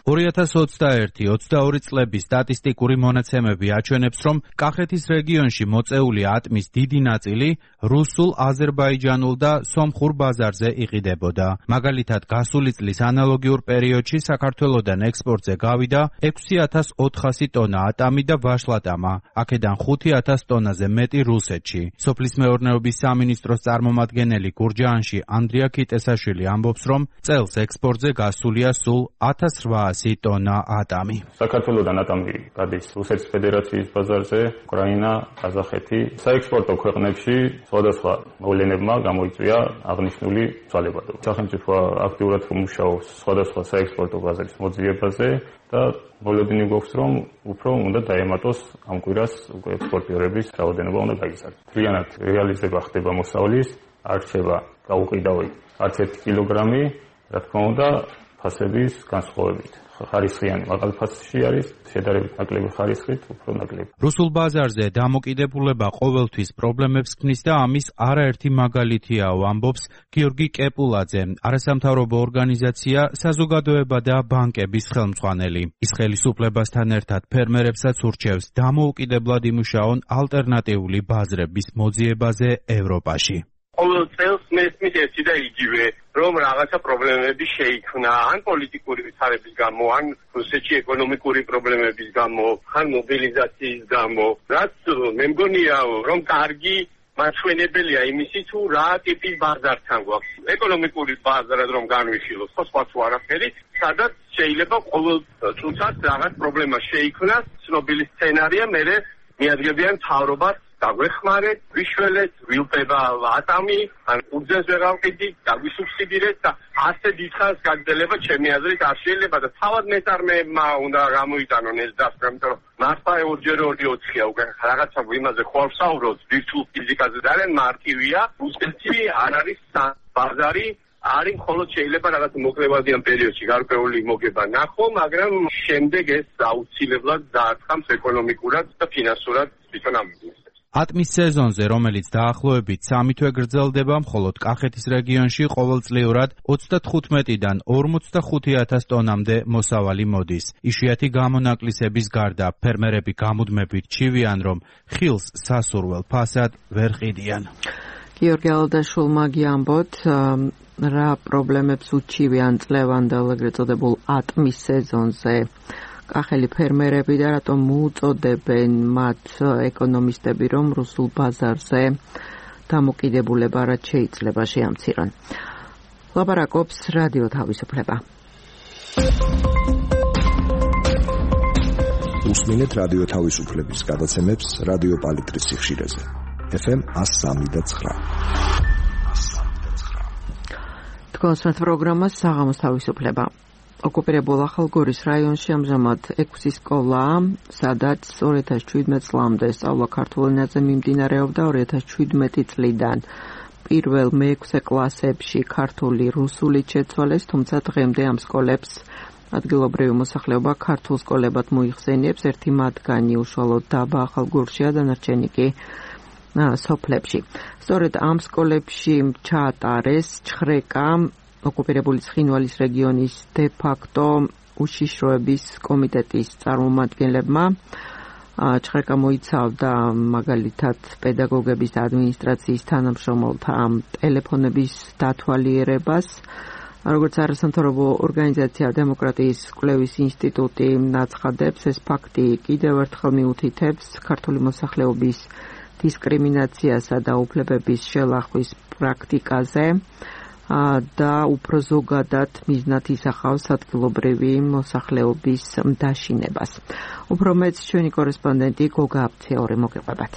2021-22 წლების სტატისტიკური მონაცემები აჩვენებს, რომ კახეთის რეგიონში მოწეული ატმის დიდი ნაწილი რუსულ, აზერბაიჯანულ და სომხურ ბაზარზე იყიდებოდა. მაგალითად, გასული წლის ანალოგიურ პერიოდში საქართველოდან ექსპორტზე გავიდა 6400 ტონა ატამი და ვაშლატამა, აქედან 5000 ტონაზე მეტი რუსეთში. სოფლის მეურნეობის სამინისტროს წარმომადგენელი გურჯაანში ანდრია კიტესაშვილი ამბობს, რომ წელს ექსპორტზე გასულია სულ 1800 ტონა ატამი. საქართველოდან ატამი გადის რუსეთის ფედერაციის ბაზარზე, უკრაინა, ყაზახეთი. საექსპორტო ქვეყნებში სხვადასხვა მოვლენებმა გამოიწვია აღნიშნული ცვალებადობა. სახელმწიფო აქტიურად მუშაობს სხვადასხვა საექსპორტო ბაზრის მოძიებაზე და მოლოდინი გვაქვს, რომ უფრო უნდა დაემატოს ამ კვირას ექსპორტიორების რაოდენობა უნდა გაიზარდოს. მთლიანად რეალიზება ხდება მოსავლის, არ რჩება გაუყიდავი არც 1 კილოგრამი, რა თქმა უნდა ფასების განსხვავებით. ხარისხიანი მაღალი ფასში არის, შედარებით ნაკლები ხარისხით უფრო ნაკლები. რუსულ ბაზარზე დამოკიდებულება ყოველთვის პრობლემებს ქმნის და ამის არაერთი მაგალითიაო, ამბობს გიორგი კეპულაძე, არასამთავრობო ორგანიზაცია საზოგადოება და ბანკების ხელმძღვანელი. ის ხელისუფლებასთან ერთად ფერმერებსაც ურჩევს დამოუკიდებლად იმუშაონ ალტერნატიული ბაზრების მოძიებაზე ევროპაში. ყოველ წელს მესმის ერთი და იგივე, რომ რაღაცა პრობლემები შეიქმნა, ან პოლიტიკური ვითარების გამო, ან რუსეთში ეკონომიკური პრობლემების გამო, ან მობილიზაციის გამო. რაც მე მგონია, რომ კარგი მაჩვენებელია იმისი, თუ რა ტიპის ბაზართან გვაქვს. ეკონომიკური ბაზარად რომ განვიხილოთ, სხვა თუ არაფერი, სადაც შეიძლება ყოველ წუთად რაღაც პრობლემა შეიქმნას, ცნობილი სცენარია, მერე მიადგებიან მთავრობას დაგვეხმარეთ, ვიშველეთ, ვილპება ატამი, ან უძეს ვეღავყიდი, დაგვისუბსიდირეთ და ასე დიდხანს გაგრძელება ჩემი აზრით არ შეიძლება და თავად მეწარმეებმა უნდა გამოიტანონ ეს დასკვნა, იმიტომ რომ მართლა 2x2 უკვე რაღაცა იმაზე ხო ვსაუბრობთ, ვირტუალ ფიზიკაზე და ძალიან მარტივია, რუსეთში არ არის ბაზარი, არის მხოლოდ შეიძლება რაღაც მოკლევადიან პერიოდში გარკვეული მოგება ნახო, მაგრამ შემდეგ ეს აუცილებლად დაარტყამს ეკონომიკურად და ფინანსურად თვითონ ამ ბიზნესს. ატმის სეზონზე, რომელიც დაახლოებით 3 თვე გრძელდება, მხოლოდ კახეთის რეგიონში ყოველწლიურად 35-დან 45,000 ტონამდე მოსავალი მოდის. იშვიათი გამონაკლისების გარდა, ფერმერები გამუდმებით ჩივიან, რომ ხილს სასურველ ფასად ვერ ყიდიან. გიორგი ალდაშულმა გიამბოთ, რა პრობლემებს უჩივიან წლევანდელ ეგრეთ წოდებულ ატმის სეზონზე კახელი ფერმერები და რატომ მოუწოდებენ მათ ეკონომისტები, რომ რუსულ ბაზარზე დამოკიდებულება რაც შეიძლება შეამცირონ. ლაპარაკობს რადიო თავისუფლება. უსმინეთ რადიო თავისუფლების გადაცემებს რადიო პალიტრის სიხშირეზე. FM 103.9. თქვენს პროგრამას საღამოს თავისუფლება. ოკუპირებულ ახალგორის რაიონში ამჟამად 6 სკოლაა, სადაც 2017 წლამდე სწავლა ქართულ ენაზე მიმდინარეობდა. 2017 წლიდან პირველ მე-6 კლასებში ქართული რუსულით შეცვალეს, თუმცა დღემდე ამ სკოლებს ადგილობრივი მოსახლეობა ქართულ სკოლებად მოიხსენიებს. ერთი მათგანი უშუალოდ დაბა ახალგორშია, დანარჩენი კი სოფლებში. სწორედ ამ სკოლებში ჩაატარეს ჩხრეკა ოკუპირებული ცხინვალის რეგიონის დე-ფაქტო უშიშროების კომიტეტის წარმომადგენლებმა. ჩხრეკა მოიცავდა მაგალითად პედაგოგების და ადმინისტრაციის თანამშრომელთა ტელეფონების დათვალიერებას. როგორც არასამთავრობო ორგანიზაცია დემოკრატიის კვლევის ინსტიტუტი აცხადებს, ეს ფაქტი კიდევ ერთხელ მიუთითებს ქართული მოსახლეობის დისკრიმინაციასა და უფლებების შელახვის პრაქტიკაზე და უფრო ზოგადად მიზნად ისახავს ადგილობრივი მოსახლეობის დაშინებას. უფრო მეც ჩვენი კორესპონდენტი გოგა აფციური მოგიყვებათ.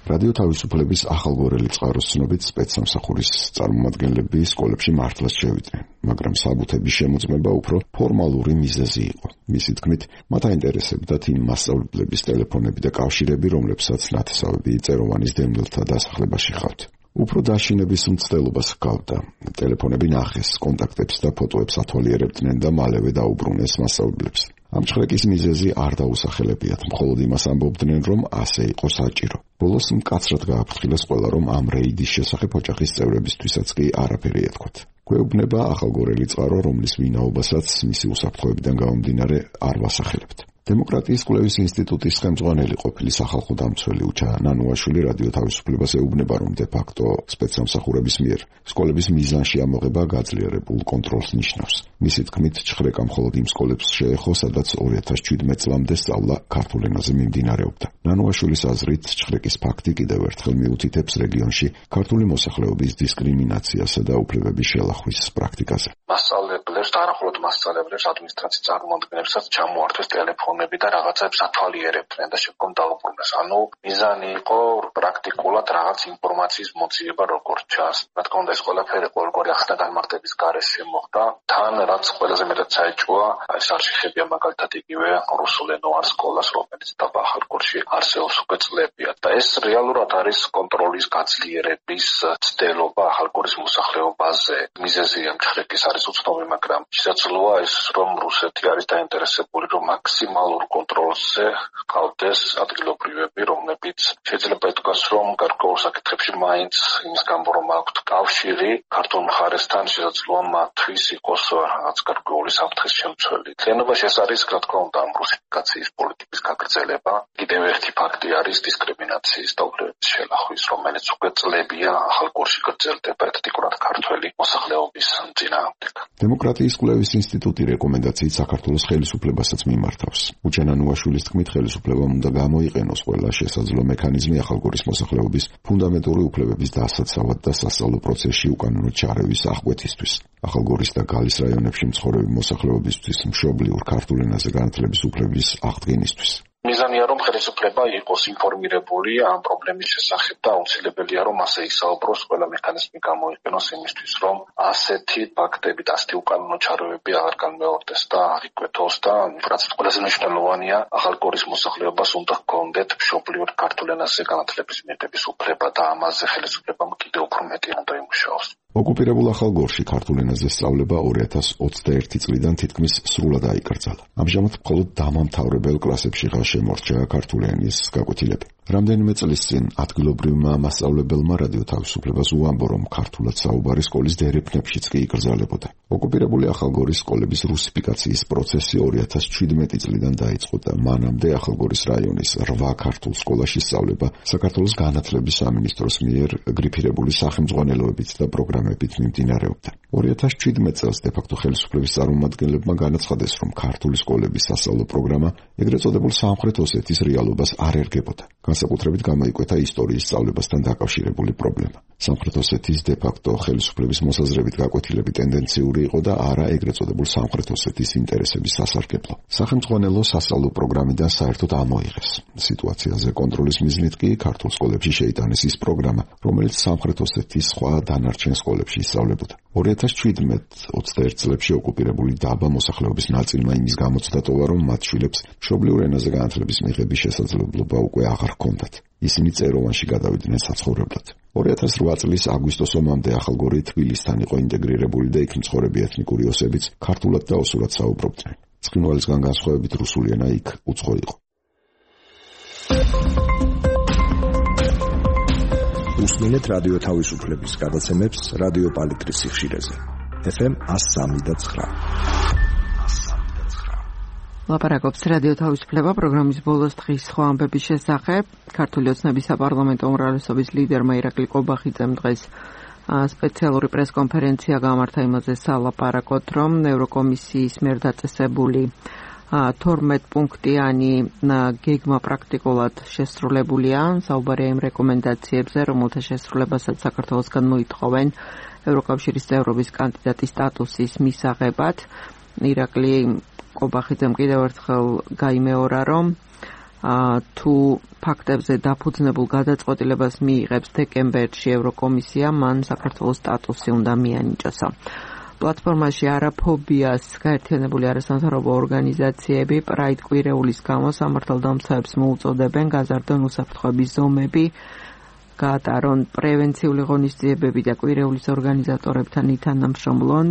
რადიო თავისუფლების ახალგორელი წყაროს ცნობით სპეცსამსახურის წარმომადგენლები სკოლებში მართლაც შევიდნენ, მაგრამ საბუთების შემოწმება უფრო ფორმალური მიზეზი იყო. მისი თქმით, მათ აინტერესებდათ იმ მასწავლებლების ტელეფონები და კავშირები, რომლებსაც ნათესავები წეროვანის დემნელთა დასახლებაში ხავთ. უფრო დაშინების მცდელობას ჰგავდა. ტელეფონები ნახეს, კონტაქტებს და ფოტოებს ათვალიერებდნენ და მალევე დაუბრუნეს მასწავლებლებს. ამ ჩხრეკის მიზეზი არ დაუსახელებიათ, მხოლოდ იმას ამბობდნენ, რომ ასე იყო საჭირო. ბოლოს მკაცრად გააფრთხილეს ყველა, რომ ამ რეიდის შესახებ ოჯახის წევრებისთვისაც კი არაფერი ეთქვათ. გვეუბნება ახალგორელი წყარო, რომლის ვინაობასაც მისი უსაფრთხოებიდან გამომდინარე არ ვასახელებთ. დემოკრატიის კვლევის ინსტიტუტის ხელმძღვანელი ყოფილი სახალხო დამცველი უჩა ნანუაშვილი რადიო თავისუფლებას ეუბნება, რომ დე-ფაქტო სპეცსამსახურების მიერ სკოლების მიზანში ამოღება გაძლიერებულ კონტროლს ნიშნავს. მისი თქმით, ჩხრეკა მხოლოდ იმ სკოლებს შეეხო, სადაც 2017 წლამდე სწავლა ქართულ ენაზე მიმდინარეობდა. ნანუაშვილის აზრით, ჩხრეკის ფაქტი კიდევ ერთხელ მიუთითებს რეგიონში ქართული მოსახლეობის დისკრიმინაციასა და უფლებების შელახვის პრაქტიკაზე. მასწავლებლებს და არა მხოლოდ მასწავლებლებს, ადმინისტრაციის წარმომადგენლებსაც ჩამოართვეს ტელეფონი პიროვნები და რაღაცებს ათვალიერებდნენ და შეkom დაუბრუნეს. ანუ მიზანი იყო პრაქტიკულად რაღაც ინფორმაციის მოძიება როგორც ჩანს. რა თქმა უნდა ეს ყველაფერი ყოველგვარი ახსნა განმარტების გარეშე მოხდა. თან რაც ყველაზე მეტად საეჭვოა, ეს არშიხებია მაგალითად იგივე რუსულენოვან სკოლას, რომელიც დაბა ახალგორში არსებობს უკვე წლებია და ეს რეალურად არის კონტროლის გაძლიერების ცდელობა ახალგორის მოსახლეობაზე. მიზეზია მჭხრიკის არის უცნობი, მაგრამ შესაძლოა ის რომ რუსეთი არის დაინტერესებული რომ მაქსიმალურ კონტროლზე ყავდეს ადგილობრივები, რომლებიც შეიძლება ითქვას რომ გარკვეულ საკითხებში მაინც იმის გამო რომ აქვთ კავშირი ქართულ მხარესთან შესაძლოა მათთვის იყოს რაღაც გარკვეული საფრთხის შემცველი. თლიანობაში ეს არის რა თქმა უნდა რუსიფიკაციის პოლიტიკის გაგრძელება. კიდევ ერთი ფაქტი არის დისკრიმინაციის და უფლებების შელახვის, რომელიც უკვე წლებია ახალგორში გრძელდება ეთნიკურად ქართველი მოსახლეობის წინააღმდეგ. დემოკრატიის კვლევის ინსტიტუტი რეკომენდაციით საქართველოს ხელისუფლებასაც მიმართავს. უჩანანუაშვილის თქმით, ხელისუფლებამ უნდა გამოიყენოს ყველა შესაძლო მექანიზმი ახალგორის მოსახლეობის ფუნდამენტური უფლებების დასაცავად და სასწავლო პროცესში უკანონო ჩარევის აღკვეთისთვის. ახალგორის და გალის რაიონებში მცხოვრები მოსახლეობისთვის მშობლიურ ქართულ ენაზე განათლების უფლების აღდგენისთვის. მიზანია რომ ხელისუფლება იყოს ინფორმირებული ამ პრობლემის შესახებ და აუცილებელია რომ ასე ისაუბროს, ყველა მექანიზმი გამოიყენოს იმისთვის რომ ასეთი ფაქტები და ასეთი უკანონო ჩარევები აღარ განმეორდეს და არ იკვეთოს და რაც ყველაზე მნიშვნელოვანია ახალგორის მოსახლეობას უნდა ჰქონდეთ მშობლიურ ქართულ ენაზე განათლების მიღების უფლება და ამაზე ხელისუფლებამ კიდევ უფრო მეტი უნდა იმუშაოს. ოკუპირებულ ახალგორში ქართულ ენაზე სწავლება 2021 წლიდან თითქმის სრულად აიკრძალა. ამჟამად მხოლოდ დამამთავრებელ კლასებშიღა შემორჩა ქართული ენის გაკვეთილები. რამდენიმე წლის წინ ადგილობრივმა მასწავლებელმა რადიო თავისუფლებას უამბო, რომ ქართულად საუბარი სკოლის დერეფნებშიც კი იკრძალებოდა. ოკუპირებული ახალგორის სკოლების რუსიფიკაციის პროცესი 2017 წლიდან დაიწყო და მანამდე ახალგორის რაიონის 8 ქართულ სკოლაში სწავლება საქართველოს განათლების სამინისტროს მიერ გრიფირებული სახელმძღვანელოებით და პროგრამებით მიმდინარეობდა. 2017 წელს დე-ფაქტო ხელისუფლების წარმომადგენლებმა განაცხადეს, რომ ქართული სკოლების სასწავლო პროგრამა ეგრეთ წოდებულ სამხრეთ ოსეთის რეალობას არ ერგებოდა. განსაკუთრებით გამოიკვეთა ისტორიის სწავლებასთან დაკავშირებული პრობლემა. სამხრეთ ოსეთის დე-ფაქტო ხელისუფლების მოსაზრებით გაკვეთილები ტენდენციური იყო და არა ეგრეთ წოდებულ სამხრეთ ოსეთის ინტერესების სასარგებლო. სახელმძღვანელო სასწავლო პროგრამიდან საერთოდ ამოიღეს. სიტუაციაზე კონტროლის მიზნით კი ქართულ სკოლებში შეიტანეს ის პროგრამა, რომელიც სამხრეთ ოსეთის სხვა დანარჩენ სკოლებში ისწავლებოდა. 2017-21 წლებში ოკუპირებული დაბა მოსახლეობის ნაწილმა იმის გამოცდა ტოვა, რომ მათ შვილებს მშობლიურ ენაზე განათლების მიღების შესაძლებლობა უკვე აღარ ჰქონდათ. ისინი წეროვანში გადავიდნენ საცხოვრებლად. 2008 წლის აგვისტოს ომამდე ახალგორი თბილისთან იყო ინტეგრირებული და იქ მცხოვრები ეთნიკური ოსებიც ქართულად და ოსურად საუბრობდნენ. ცხინვალისგან განსხვავებით რუსული ენა იქ უცხო იყო. უსმენთ რადიო თავისუფლების გადაცემებს რადიო პალიტრის სიხშირეზე. FM 103.9. ლაპარაკობს რადიო თავისუფლება პროგრამის ბოლოს დღის სხვა ამბების შესახებ. ქართული ოცნების საპარლამენტო უმრავლესობის ლიდერმა ირაკლი კობახიძემ დღეს სპეციალური პრესკონფერენცია გამართა იმაზე სალაპარაკოთ, რომ ევროკომისიის მიერ დაწესებული 12 პუნქტიანი გეგმა პრაქტიკულად შესრულებულია. საუბარია იმ რეკომენდაციებზე, რომელთა შესრულებასაც საქართველოსგან მოითხოვენ ევროკავშირის წევრობის კანდიდატის სტატუსის მისაღებად. ირაკლი კობახიძემ კიდევ ერთხელ გაიმეორა, რომ თუ ფაქტებზე დაფუძნებულ გადაწყვეტილებას მიიღებს დეკემბერში ევროკომისია, მან საქართველოს სტატუსი უნდა მიანიჭოსა. პლატფორმაში არაფობიას გაერთიანებული არასამთავრობო ორგანიზაციები პრაიდ კვირეულის გამო სამართალდამცავებს მოუწოდებენ გაზარდონ უსაფრთხოების ზომები, გაატარონ პრევენციული ღონისძიებები და კვირეულის ორგანიზატორებთან ითანამშრომლონ.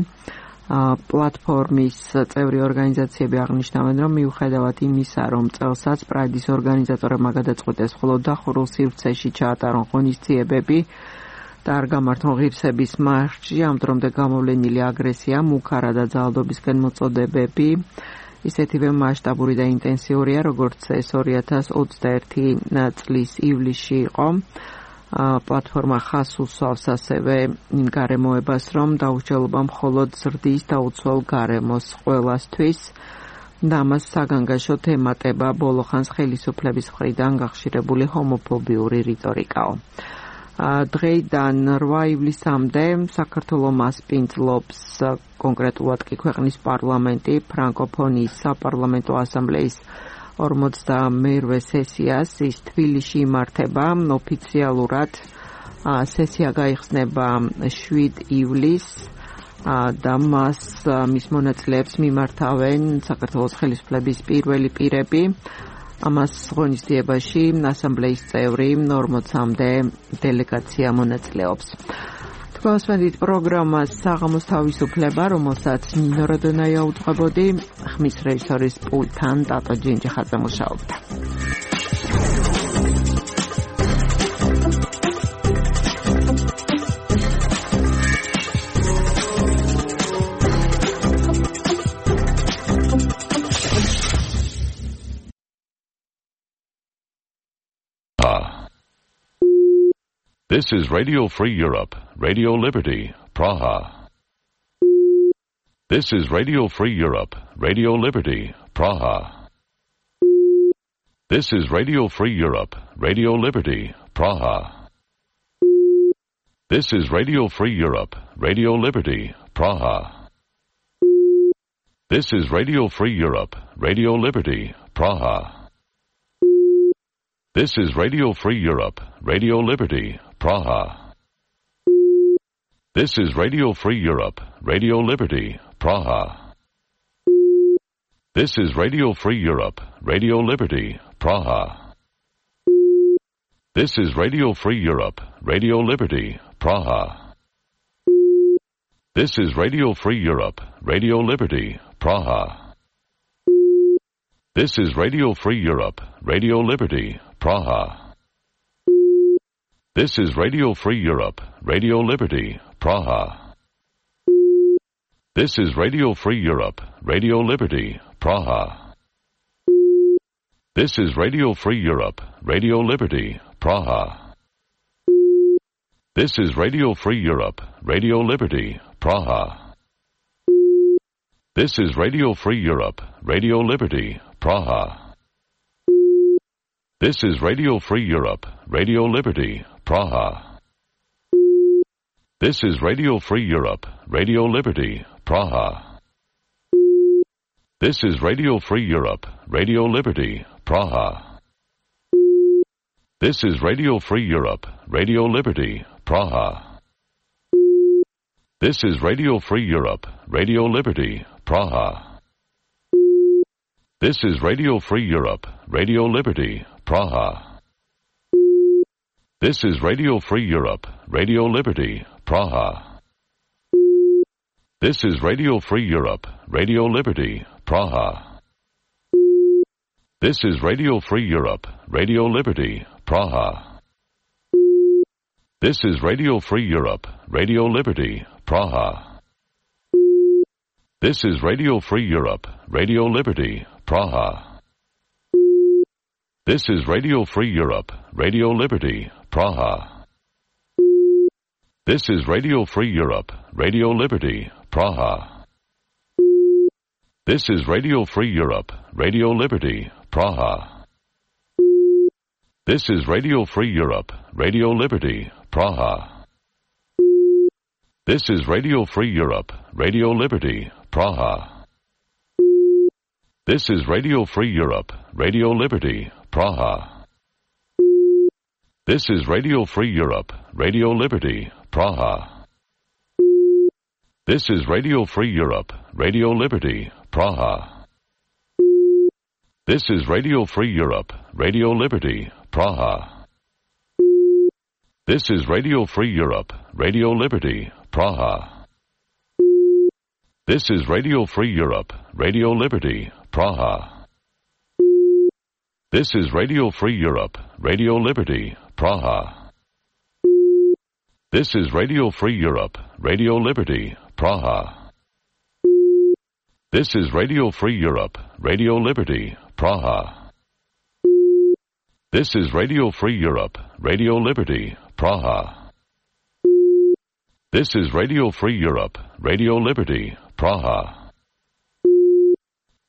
პლატფორმის წევრი ორგანიზაციები აღნიშნავენ, რომ მიუხედავად იმისა, რომ წელსაც პრაიდის ორგანიზატორებმა გადაწყვიტეს მხოლოდ დახურულ სივრცეში ჩაატარონ ღონისძიებები და არ გამართონ ღირსების მარში, ამ დრომდე გამოვლენილი აგრესია, მუქარა და ძალადობისკენ მოწოდებები ისეთივე მასშტაბური და ინტენსიურია, როგორც ეს 2021 წლის ივლისში იყო. პლატფორმა ხას უსვავს ასევე იმ გარემოებას, რომ დაუსჯელობა მხოლოდ ზრდის და უცვლელ გარემოს ყველასთვის და ამას საგანგაშოდ ემატება ბოლო ხანს ხელისუფლების მხრიდან გახშირებული ჰომოფობიური რიტორიკაო. დღეიდან 8 ივლისამდე საქართველოს მასპინძლობს კონკრეტულად კი ქვეყნის პარლამენტი ფრანკოფონიის საპარლამენტო ასამბლეის 42-ვე სესიას. ის თბილისში იმართება ოფიციალურად. სესია გაიხსნება 7 ივლისს და მის მონაწილეებს მიმართავენ საქართველოს ხელისუფლების პირველი პირები. ამას ღონისძიებაში ასამბლეის წევრი 40-მდე დელეგაცია მონაწილეობს. თქვენსმენდით პროგრამას საღამოს თავისუფლება, რომელსაც ნინო როდონაია უძღვებოდი, ხმის რეჟისორის პულტთან ტატო ჯინჯიხაძე მუშაობდა. This is Radio Free Europe, Radio Liberty, Praha. This is Radio Free Europe, Radio Liberty, Praha. This is Radio Free Europe, Radio Liberty, Praha. This is Radio Free Europe, Radio Liberty, Praha. This is Radio Free Europe, Radio Liberty, Praha. This is Radio Free Europe, Radio Liberty, Praha. This is Radio Free Europe, Radio Liberty, Praha. This is Radio Free Europe, Radio Liberty, Praha. This is Radio Free Europe, Radio Liberty, Praha. This is Radio Free Europe, Radio Liberty, Praha. This is Radio Free Europe, Radio Liberty, Praha. This is Radio Free Europe, Radio Liberty, Praha. This is Radio Free Europe, Radio Liberty, Praha. This is Radio Free Europe, Radio Liberty, Praha. This is Radio Free Europe, Radio Liberty, Praha. This is Radio Free Europe, Radio Liberty, Praha. This is Radio Free Europe, Radio Liberty, Praha. This is Radio Free Europe, Radio Liberty, Praha. This is Radio Free Europe, Radio Liberty, Praha. This is Radio Free Europe, Radio Liberty, Praha. This is Radio Free Europe, Radio Liberty, Praha. This is Radio Free Europe, Radio Liberty, Praha. This is Radio Free Europe, Radio Liberty, Praha. This is Radio Free Europe, Radio Liberty, Praha. This is Radio Free Europe, Radio Liberty, Praha. This is Radio Free Europe, Radio Liberty, Praha. This is Radio Free Europe, Radio Liberty, Praha. This is Radio Free Europe, Radio Liberty, Praha. This is Radio Free Europe, Radio Liberty, Praha. This is Radio Free Europe, Radio Liberty, Praha. This is Radio Free Europe, Radio Liberty, Praha. This is Radio Free Europe, Radio Liberty, Praha. This is Radio Free Europe, Radio Liberty, Praha. This is Radio Free Europe, Radio Liberty, Praha. This is Radio Free Europe, Radio Liberty, Praha. This is Radio Free Europe, Radio Liberty, Praha. This is Radio Free Europe, Radio Liberty, Praha. This is Radio Free Europe, Radio Liberty, Praha. This is Radio Free Europe, Radio Liberty, Praha. This is Radio Free Europe, Radio Liberty, Praha. This is Radio Free Europe, Radio Liberty, Praha. This is Radio Free Europe, Radio Liberty, Praha. This is Radio Free Europe, Radio Liberty, Praha.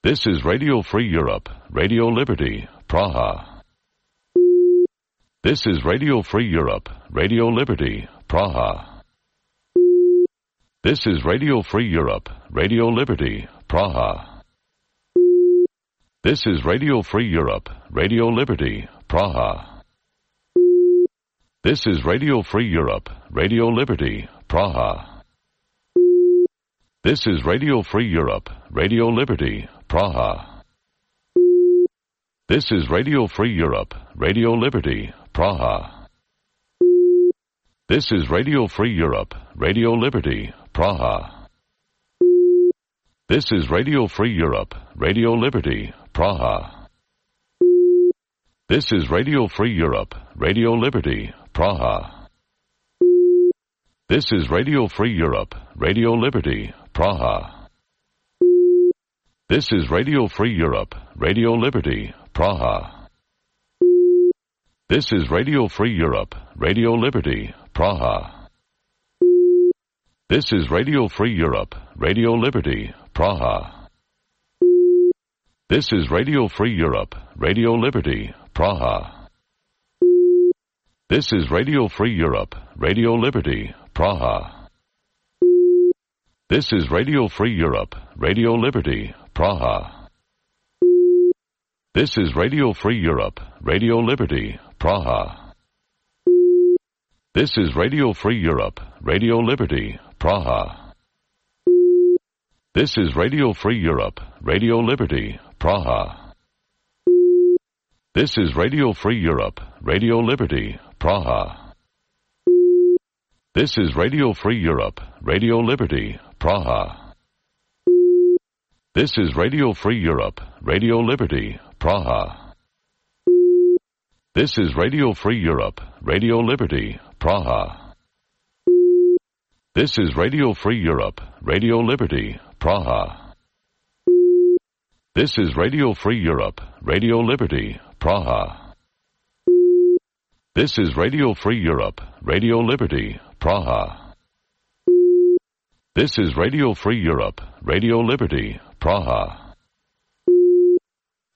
This is Radio Free Europe, Radio Liberty, Praha. This is Radio Free Europe, Radio Liberty, Praha. This is Radio Free Europe, Radio Liberty, Praha. This is Radio Free Europe, Radio Liberty, Praha. This is Radio Free Europe, Radio Liberty, Praha. This is Radio Free Europe, Radio Liberty, Praha. This is Radio Free Europe, Radio Liberty, Praha. This is Radio Free Europe, Radio Liberty, Praha. This is Radio Free Europe, Radio Liberty, Praha. This is Radio Free Europe, Radio Liberty, Praha. This is Radio Free Europe, Radio Liberty, Praha. This is Radio Free Europe, Radio Liberty, Praha. This is Radio Free Europe, Radio Liberty, Praha. This is Radio Free Europe, Radio Liberty, Praha. This is Radio Free Europe, Radio Liberty, Praha. This is Radio Free Europe, Radio Liberty, Praha. This is Radio Free Europe, Radio Liberty, Praha. This is Radio Free Europe, Radio Liberty, Praha. This is Radio Free Europe, Radio Liberty, Praha. This is Radio Free Europe, Radio Liberty, Praha. This is Radio Free Europe, Radio Liberty, Praha. This is Radio Free Europe, Radio Liberty, Praha. This is Radio Free Europe, Radio Liberty, Praha. This is Radio Free Europe, Radio Liberty, Praha. This is Radio Free Europe, Radio Liberty, Praha. This is Radio Free Europe, Radio Liberty, Praha. This is Radio Free Europe, Radio Liberty, Praha. This is Radio Free Europe, Radio Liberty, Praha.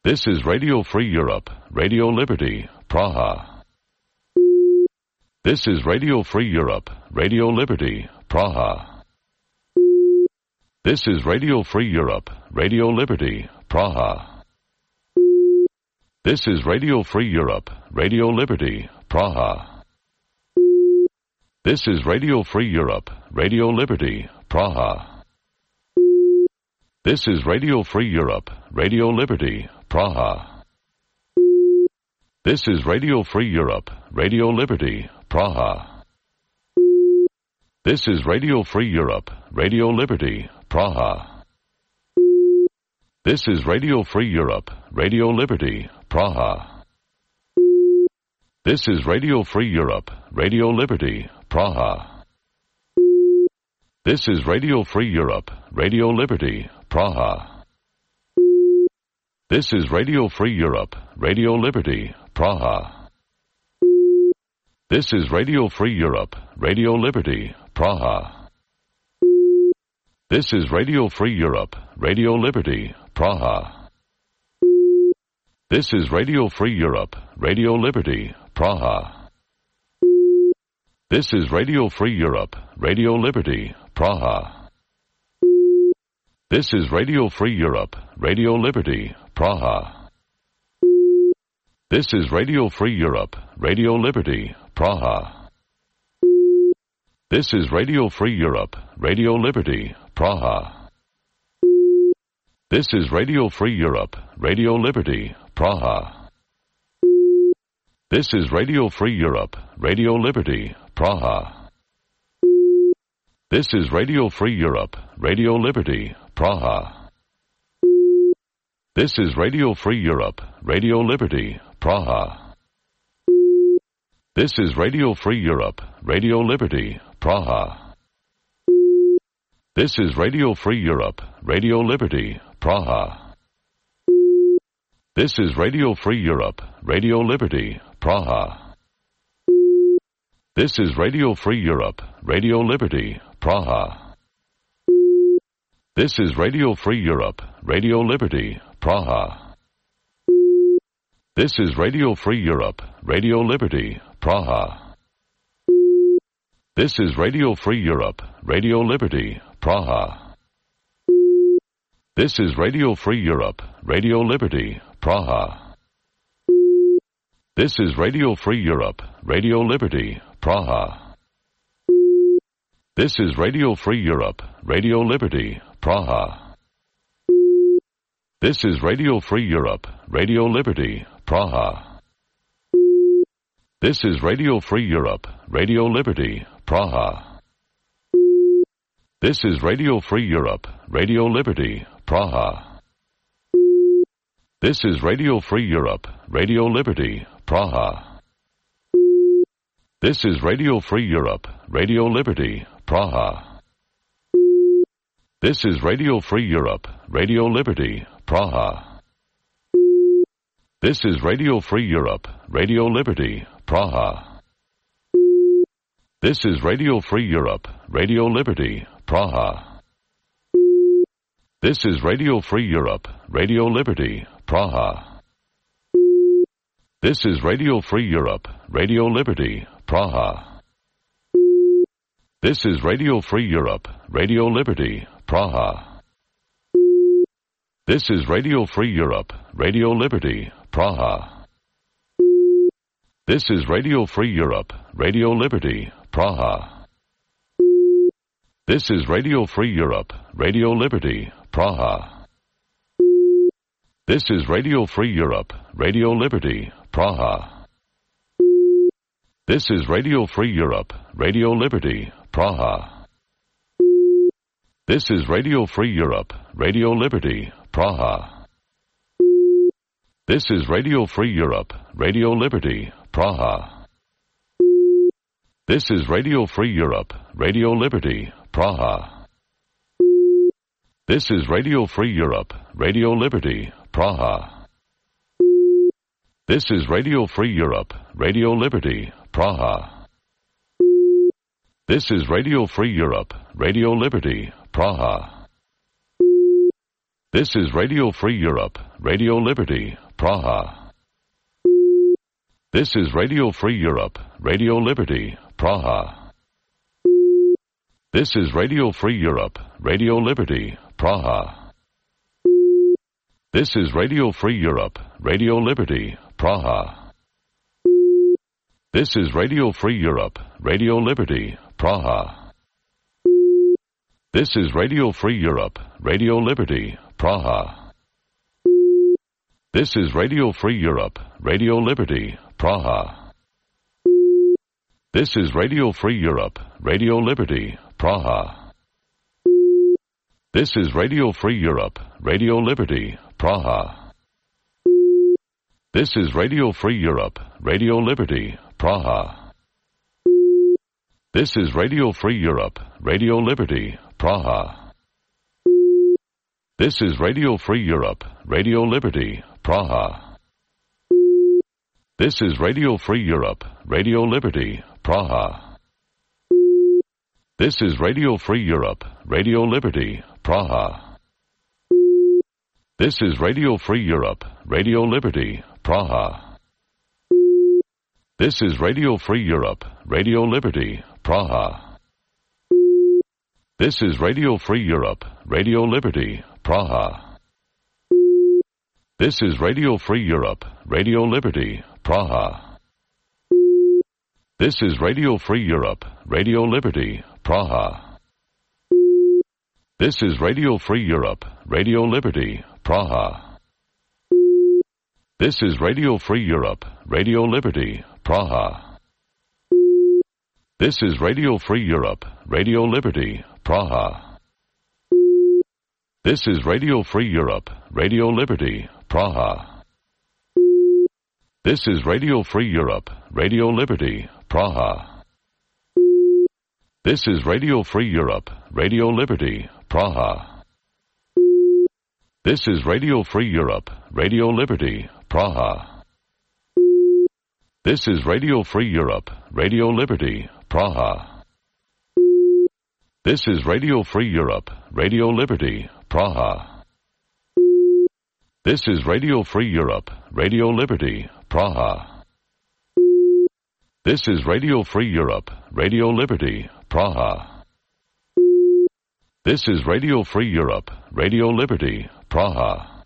This is Radio Free Europe, Radio Liberty, Praha. This is Radio Free Europe, Radio Liberty, Praha. This is Radio Free Europe, Radio Liberty, Praha. This is Radio Free Europe, Radio Liberty, Praha. This is Radio Free Europe, Radio Liberty, Praha. This is Radio Free Europe, Radio Liberty, Praha. This is Radio Free Europe, Radio Liberty, Praha. This is Radio Free Europe, Radio Liberty, Praha. This is Radio Free Europe, Radio Liberty, Praha. This is Radio Free Europe, Radio Liberty, Praha. This is Radio Free Europe, Radio Liberty, Praha. This is Radio Free Europe, Radio Liberty, Praha. This is Radio Free Europe, Radio Liberty, Praha. This is Radio Free Europe, Radio Liberty, Praha. This is Radio Free Europe, Radio Liberty, Praha. This is Radio Free Europe, Radio Liberty, Praha. This is Radio Free Europe, Radio Liberty, Praha. This is Radio Free Europe, Radio Liberty, Praha. This is Radio Free Europe, Radio Liberty, Praha. This is Radio Free Europe, Radio Liberty, Praha. This is Radio Free Europe, Radio Liberty, Praha. This is Radio Free Europe, Radio Liberty, Praha. This is Radio Free Europe, Radio Liberty, Praha. This is Radio Free Europe, Radio Liberty, Praha. This is Radio Free Europe, Radio Liberty, Praha. This is Radio Free Europe, Radio Liberty, Praha. This is Radio Free Europe, Radio Liberty, Praha. This is Radio Free Europe, Radio Liberty, Praha. This is Radio Free Europe, Radio Liberty, Praha. This is Radio Free Europe, Radio Liberty, Praha. This is Radio Free Europe, Radio Liberty, Praha. This is Radio Free Europe, Radio Liberty, Praha. This is Radio Free Europe, Radio Liberty, Praha. This is Radio Free Europe, Radio Liberty, Praha. This is Radio Free Europe, Radio Liberty, Praha. This is Radio Free Europe, Radio Liberty, Praha. This is Radio Free Europe, Radio Liberty, Praha. This is Radio Free Europe, Radio Liberty, Praha. This is Radio Free Europe, Radio Liberty, Praha. This is Radio Free Europe, Radio Liberty, Praha. This is Radio Free Europe, Radio Liberty, Praha. This is Radio Free Europe, Radio Liberty, Praha. This is Radio Free Europe, Radio Liberty, Praha. This is Radio Free Europe, Radio Liberty, Praha. This is Radio Free Europe, Radio Liberty, Praha. This is Radio Free Europe, Radio Liberty, Praha. This is Radio Free Europe, Radio Liberty, Praha. This is Radio Free Europe, Radio Liberty, Praha. This is Radio Free Europe, Radio Liberty, Praha. This is Radio Free Europe, Radio Liberty, Praha. This is Radio Free Europe, Radio Liberty, Praha. This is Radio Free Europe, Radio Liberty, Praha. This is Radio Free Europe, Radio Liberty, Praha. This is Radio Free Europe, Radio Liberty, Praha. This is Radio Free Europe, Radio Liberty, Praha. This is Radio Free Europe, Radio Liberty, Praha. This is Radio Free Europe, Radio Liberty, Praha. This is Radio Free Europe, Radio Liberty, Praha. This is Radio Free Europe, Radio Liberty, Praha. This is Radio Free Europe, Radio Liberty, Praha. This is Radio Free Europe, Radio Liberty, Praha. This is Radio Free Europe, Radio Liberty, Praha. This is Radio Free Europe, Radio Liberty, Praha. This is Radio Free Europe, Radio Liberty, Praha. This is Radio Free Europe, Radio Liberty, Praha. This is Radio Free Europe, Radio Liberty, Praha. This is Radio Free Europe, Radio Liberty, Praha. This is Radio Free Europe, Radio Liberty, Praha. This is Radio Free Europe, Radio Liberty, Praha. This is Radio Free Europe, Radio Liberty, Praha. This is Radio Free Europe, Radio Liberty, Praha. This is Radio Free Europe, Radio Liberty, Praha. This is Radio Free Europe, Radio Liberty, Praha. This is Radio Free Europe, Radio Liberty, Praha. This is Radio Free Europe, Radio Liberty, Praha. This is Radio Free Europe, Radio Liberty, Praha. This is Radio Free Europe, Radio Liberty, Praha. This is Radio Free Europe, Radio Liberty, Praha. This is Radio Free Europe, Radio Liberty, Praha. This is Radio Free Europe, Radio Liberty, Praha. This is Radio Free Europe, Radio Liberty, Praha. This is Radio Free Europe, Radio Liberty, Praha. This is Radio Free Europe, Radio Liberty, Praha. This is Radio Free Europe, Radio Liberty, Praha. This is Radio Free Europe, Radio Liberty, Praha. This is Radio Free Europe, Radio Liberty, Praha.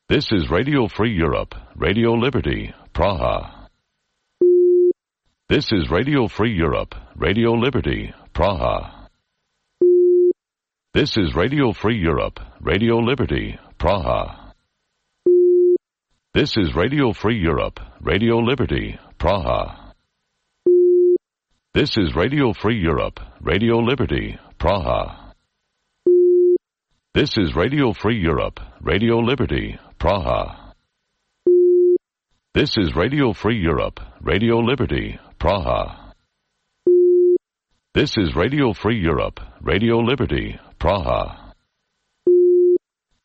This is Radio Free Europe, Radio Liberty, Praha. This is Radio Free Europe, Radio Liberty, Praha. This is Radio Free Europe, Radio Liberty, Praha. This is Radio Free Europe, Radio Liberty, Praha. This is Radio Free Europe, Radio Liberty, Praha. This is Radio Free Europe, Radio Liberty, Praha. This is Radio Free Europe, Radio Liberty, Praha. This is Radio Free Europe, Radio Liberty, Praha.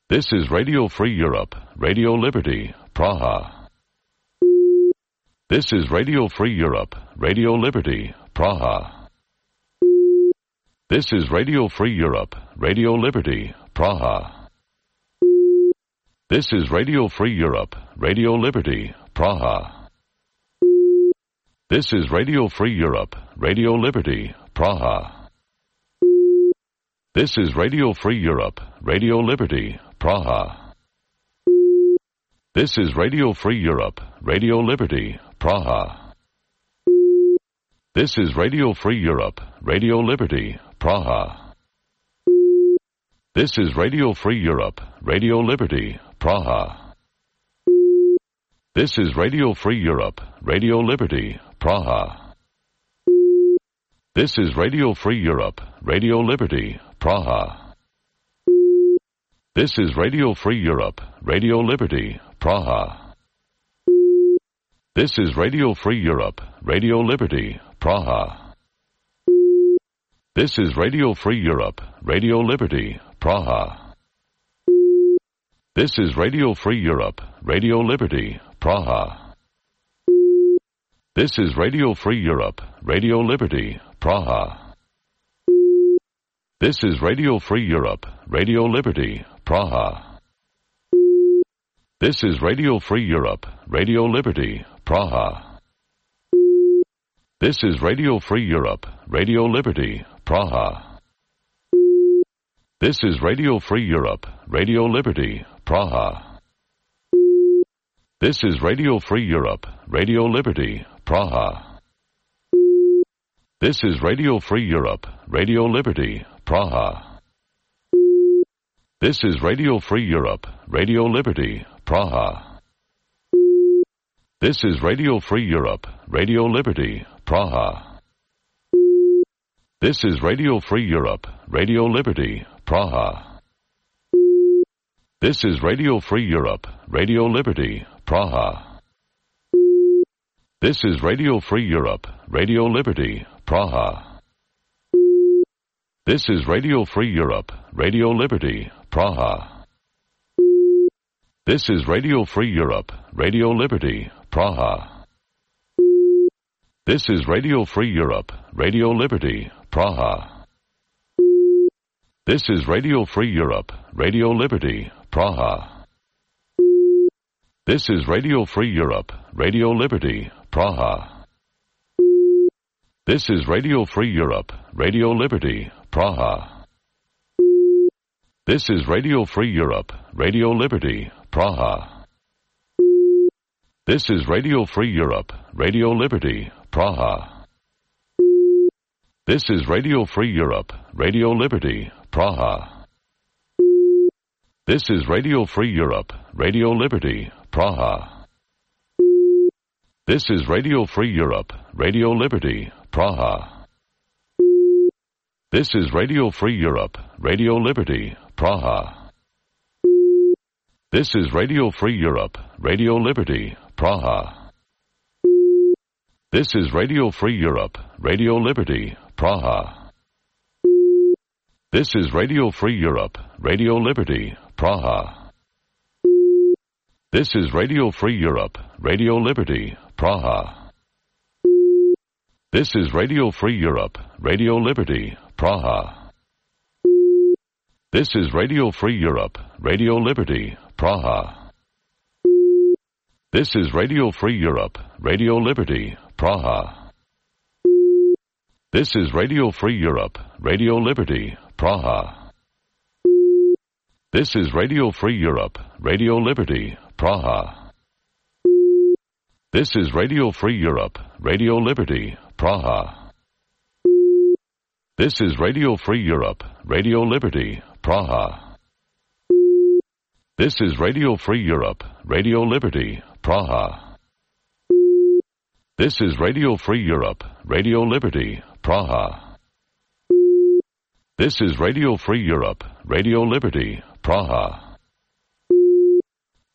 This is Radio Free Europe, Radio Liberty, Praha. This is Radio Free Europe, Radio Liberty, Praha. This is Radio Free Europe, Radio Liberty, Praha. This is Radio Free Europe, Radio Liberty, Praha. This is Radio Free Europe, Radio Liberty, Praha. This is Radio Free Europe, Radio Liberty, Praha. This is Radio Free Europe, Radio Liberty, Praha. This is Radio Free Europe, Radio Liberty, Praha. This is Radio Free Europe, Radio Liberty, Praha. This is Radio Free Europe, Radio Liberty, Praha. This is Radio Free Europe, Radio Liberty, Praha. This is Radio Free Europe, Radio Liberty, Praha. This is Radio Free Europe, Radio Liberty, Praha. This is Radio Free Europe, Radio Liberty, Praha. This is Radio Free Europe, Radio Liberty, Praha. This is Radio Free Europe, Radio Liberty, Praha. This is Radio Free Europe, Radio Liberty, Praha. This is Radio Free Europe, Radio Liberty, Praha. This is Radio Free Europe, Radio Liberty, Praha. This is Radio Free Europe, Radio Liberty, Praha. This is Radio Free Europe, Radio Liberty, Praha. This is Radio Free Europe, Radio Liberty, Praha. This is Radio Free Europe, Radio Liberty, Praha. This is Radio Free Europe, Radio Liberty, Praha. This is Radio Free Europe, Radio Liberty, Praha. This is Radio Free Europe, Radio Liberty, Praha. This is Radio Free Europe, Radio Liberty, Praha. This is Radio Free Europe, Radio Liberty, Praha. This is Radio Free Europe, Radio Liberty, Praha. This is Radio Free Europe, Radio Liberty, Praha. This is Radio Free Europe, Radio Liberty, Praha. This is Radio Free Europe, Radio Liberty, Praha. This is Radio Free Europe, Radio Liberty, Praha. This is Radio Free Europe, Radio Liberty, Praha. This is Radio Free Europe, Radio Liberty, Praha. This is Radio Free Europe, Radio Liberty, Praha. This is Radio Free Europe, Radio Liberty, Praha. This is Radio Free Europe, Radio Liberty, Praha. This is Radio Free Europe, Radio Liberty, Praha. This is Radio Free Europe, Radio Liberty, Praha. This is Radio Free Europe, Radio Liberty, Praha. This is Radio Free Europe, Radio Liberty, Praha. This is Radio Free Europe, Radio Liberty, Praha. This is Radio Free Europe, Radio Liberty, Praha. This is Radio Free Europe, Radio Liberty, Praha. This is Radio Free Europe, Radio Liberty, Praha. This is Radio Free Europe, Radio Liberty, Praha. This is Radio Free Europe, Radio Liberty, Praha. This is Radio Free Europe, Radio Liberty, Praha. This is Radio Free Europe, Radio Liberty, Praha. This is Radio Free Europe, Radio Liberty, Praha. This is Radio Free Europe, Radio Liberty, Praha. This is Radio Free Europe, Radio Liberty, Praha.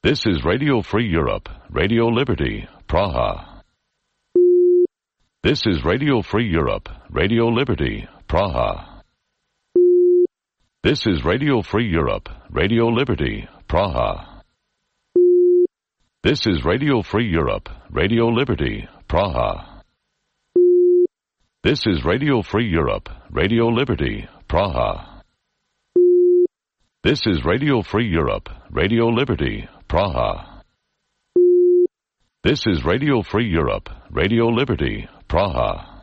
This is Radio Free Europe, Radio Liberty, Praha. This is Radio Free Europe, Radio Liberty, Praha. This is Radio Free Europe, Radio Liberty, Praha. This is Radio Free Europe, Radio Liberty, Praha. This is Radio Free Europe, Radio Liberty, Praha. This is Radio Free Europe, Radio Liberty, Praha. This is Radio Free Europe, Radio Liberty, Praha.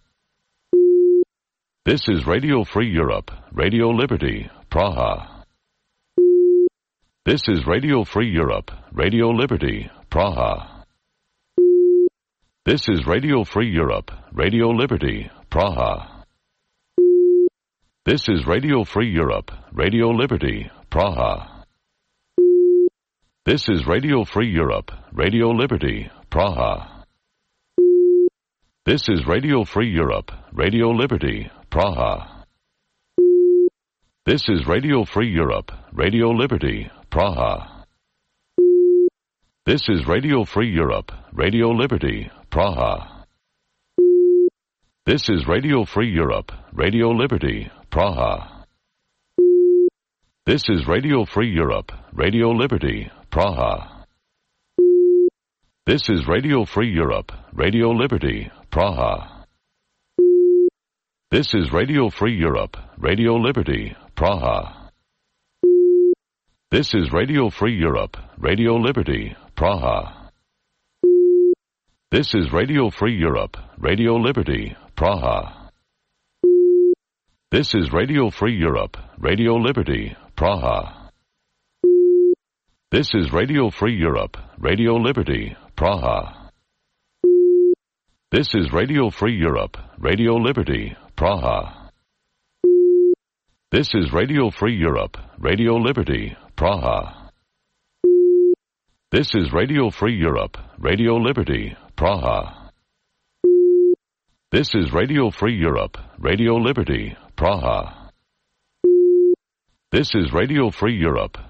This is Radio Free Europe, Radio Liberty, Praha. This is Radio Free Europe, Radio Liberty, Praha. This is Radio Free Europe, Radio Liberty, Praha. This is Radio Free Europe, Radio Liberty, Praha. This is Radio Free Europe, Radio Liberty, Praha. This is Radio Free Europe, Radio Liberty, Praha. This is Radio Free Europe, Radio Liberty, Praha. This is Radio Free Europe, Radio Liberty, Praha. This is Radio Free Europe, Radio Liberty, Praha. This is Radio Free Europe, Radio Liberty, Praha. This is Radio Free Europe, Radio Liberty, Praha. This is Radio Free Europe, Radio Liberty, Praha. This is Radio Free Europe, Radio Liberty, Praha. This is Radio Free Europe, Radio Liberty, Praha. This is Radio Free Europe, Radio Liberty, Praha. This is Radio Free Europe, Radio Liberty, Praha. This is Radio Free Europe, Radio Liberty, Praha. This is Radio Free Europe, Radio Liberty, Praha. This is Radio Free Europe, Radio Liberty, Praha. This is Radio Free Europe,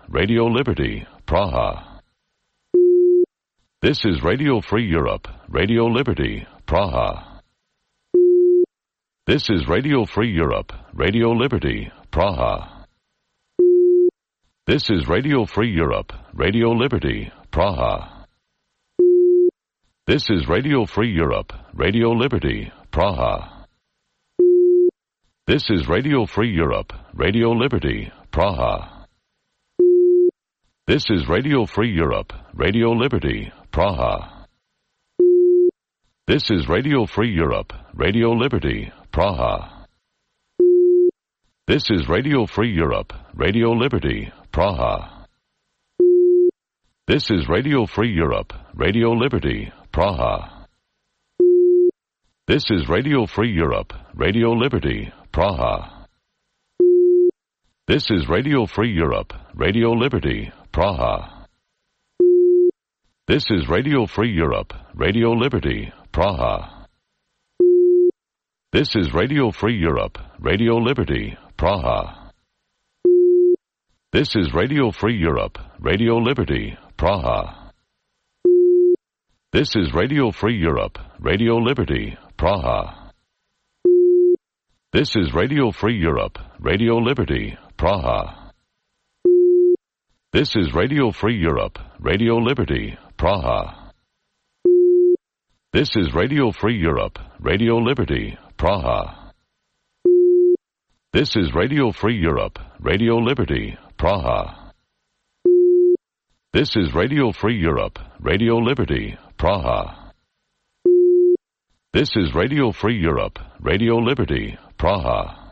Radio Liberty, Praha. This is Radio Free Europe, Radio Liberty, Praha. This is Radio Free Europe, Radio Liberty, Praha. This is Radio Free Europe, Radio Liberty, Praha. This is Radio Free Europe, Radio Liberty, Praha. This is Radio Free Europe, Radio Liberty, Praha. This is Radio Free Europe, Radio Liberty, Praha. This is Radio Free Europe, Radio Liberty, Praha. This is Radio Free Europe, Radio Liberty, Praha. This is Radio Free Europe, Radio Liberty, Praha. This is Radio Free Europe, Radio Liberty, Praha. This is Radio Free Europe, Radio Liberty, Praha. This is Radio Free Europe, Radio Liberty, Praha. This is Radio Free Europe, Radio Liberty, Praha. This is Radio Free Europe, Radio Liberty, Praha. This is Radio Free Europe, Radio Liberty, Praha. This is Radio Free Europe, Radio Liberty, Praha. This is Radio Free Europe, Radio Liberty, Praha. This is Radio Free Europe, Radio Liberty, Praha. This is Radio Free Europe, Radio Liberty, Praha. This is Radio Free Europe, Radio Liberty, Praha. This is Radio Free Europe, Radio Liberty, Praha. This is Radio Free Europe, Radio Liberty, Praha.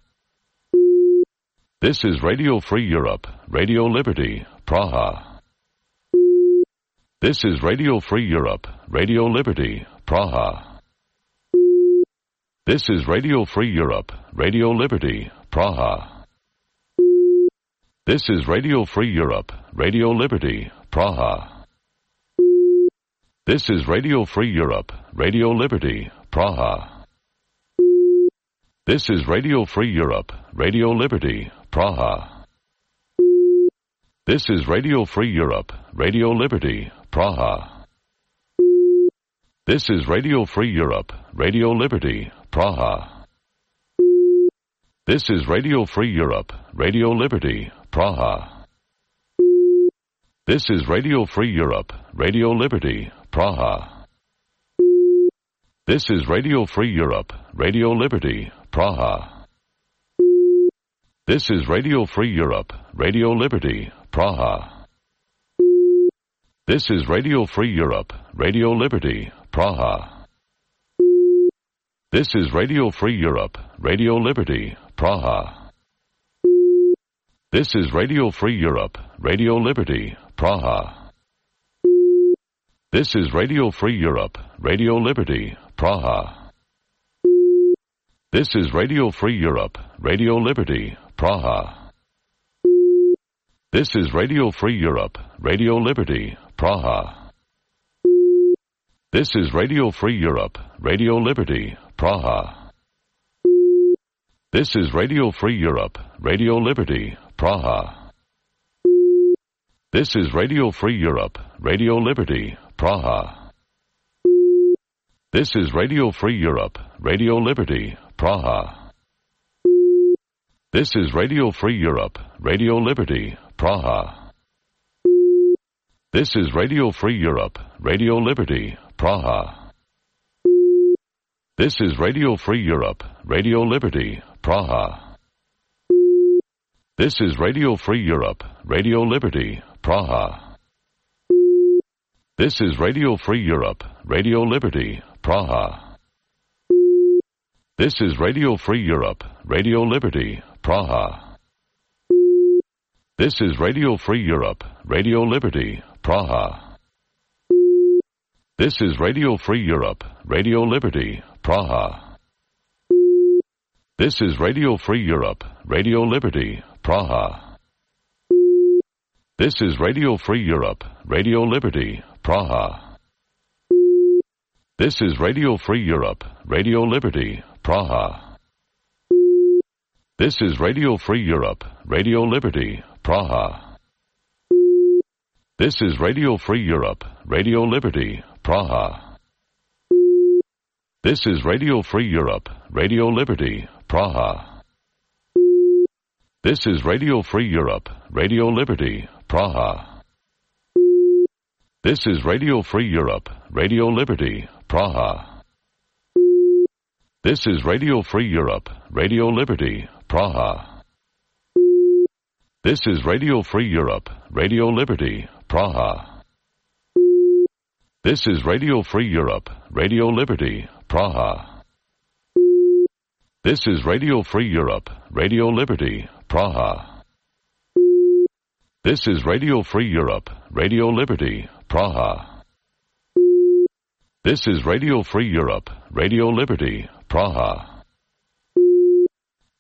This is Radio Free Europe, Radio Liberty, Praha. This is Radio Free Europe, Radio Liberty, Praha. This is Radio Free Europe, Radio Liberty, Praha. This is Radio Free Europe, Radio Liberty, Praha. This is Radio Free Europe, Radio Liberty, Praha. This is Radio Free Europe, Radio Liberty, Praha. This is Radio Free Europe, Radio Liberty, Praha. This is Radio Free Europe, Radio Liberty, Praha. This is Radio Free Europe, Radio Liberty, Praha. This is Radio Free Europe, Radio Liberty, Praha. This is Radio Free Europe, Radio Liberty, Praha. This is Radio Free Europe, Radio Liberty, Praha. This is Radio Free Europe, Radio Liberty, Praha. This is Radio Free Europe, Radio Liberty, Praha. This is Radio Free Europe, Radio Liberty, Praha. This is Radio Free Europe, Radio Liberty, Praha. This is Radio Free Europe, Radio Liberty, Praha. This is Radio Free Europe, Radio Liberty, Praha. This is Radio Free Europe, Radio Liberty, Praha. This is Radio Free Europe, Radio Liberty, Praha. This is Radio Free Europe, Radio Liberty, Praha. This is Radio Free Europe, Radio Liberty, Praha. This is Radio Free Europe, Radio Liberty, Praha. This is Radio Free Europe, Radio Liberty, Praha. This is Radio Free Europe, Radio Liberty, Praha. This is Radio Free Europe, Radio Liberty, Praha. This is Radio Free Europe, Radio Liberty, Praha. This is Radio Free Europe, Radio Liberty, Praha. This is Radio Free Europe, Radio Liberty, Praha. This is Radio Free Europe, Radio Liberty, Praha. This is Radio Free Europe, Radio Liberty, Praha. This is Radio Free Europe, Radio Liberty, Praha. This is Radio Free Europe, Radio Liberty, Praha. This is Radio Free Europe, Radio Liberty, Praha. This is Radio Free Europe, Radio Liberty, Praha. This is Radio Free Europe, Radio Liberty, Praha. This is Radio Free Europe, Radio Liberty, Praha. This is Radio Free Europe, Radio Liberty, Praha. This is Radio Free Europe, Radio Liberty, Praha. This is Radio Free Europe, Radio Liberty, Praha. This is Radio Free Europe, Radio Liberty, Praha. This is Radio Free Europe, Radio Liberty, Praha. This is Radio Free Europe, Radio Liberty, Praha. This is Radio Free Europe, Radio Liberty, Praha.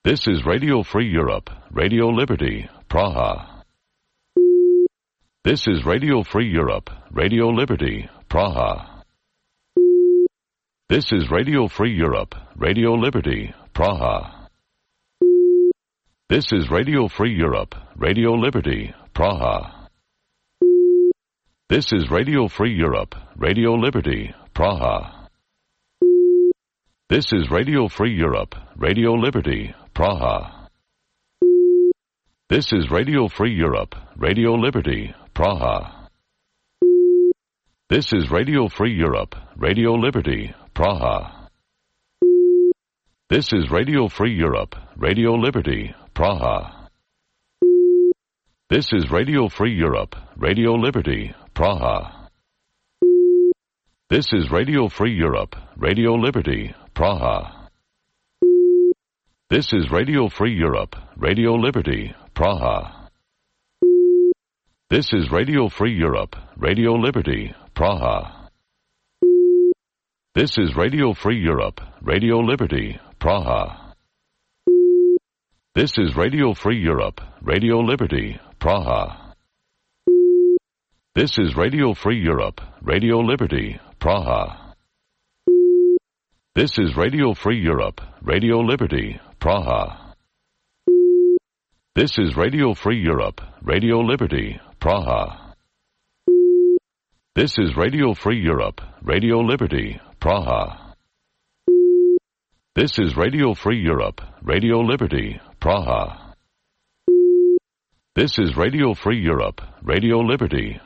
This is Radio Free Europe, Radio Liberty, Praha. This is Radio Free Europe, Radio Liberty, Praha. This is Radio Free Europe, Radio Liberty, Praha. This is Radio Free Europe, Radio Liberty, Praha. This is Radio Free Europe, Radio Liberty, Praha. This is Radio Free Europe, Radio Liberty, Praha. This is Radio Free Europe, Radio Liberty, Praha. This is Radio Free Europe, Radio Liberty, Praha. This is Radio Free Europe, Radio Liberty, Praha. This is Radio Free Europe, Radio Liberty, Praha. This is Radio Free Europe, Radio Liberty, Praha. This is Radio Free Europe, Radio Liberty, Praha. This is Radio Free Europe, Radio Liberty, Praha. This is Radio Free Europe, Radio Liberty, Praha. This is Radio Free Europe, Radio Liberty, Praha. This is Radio Free Europe, Radio Liberty, Praha. This is Radio Free Europe, Radio Liberty, Praha. This is Radio Free Europe, Radio Liberty, Praha. This is Radio Free Europe, Radio Liberty, Praha. This is Radio Free Europe, Radio Liberty, Praha. This is Radio Free Europe, Radio Liberty,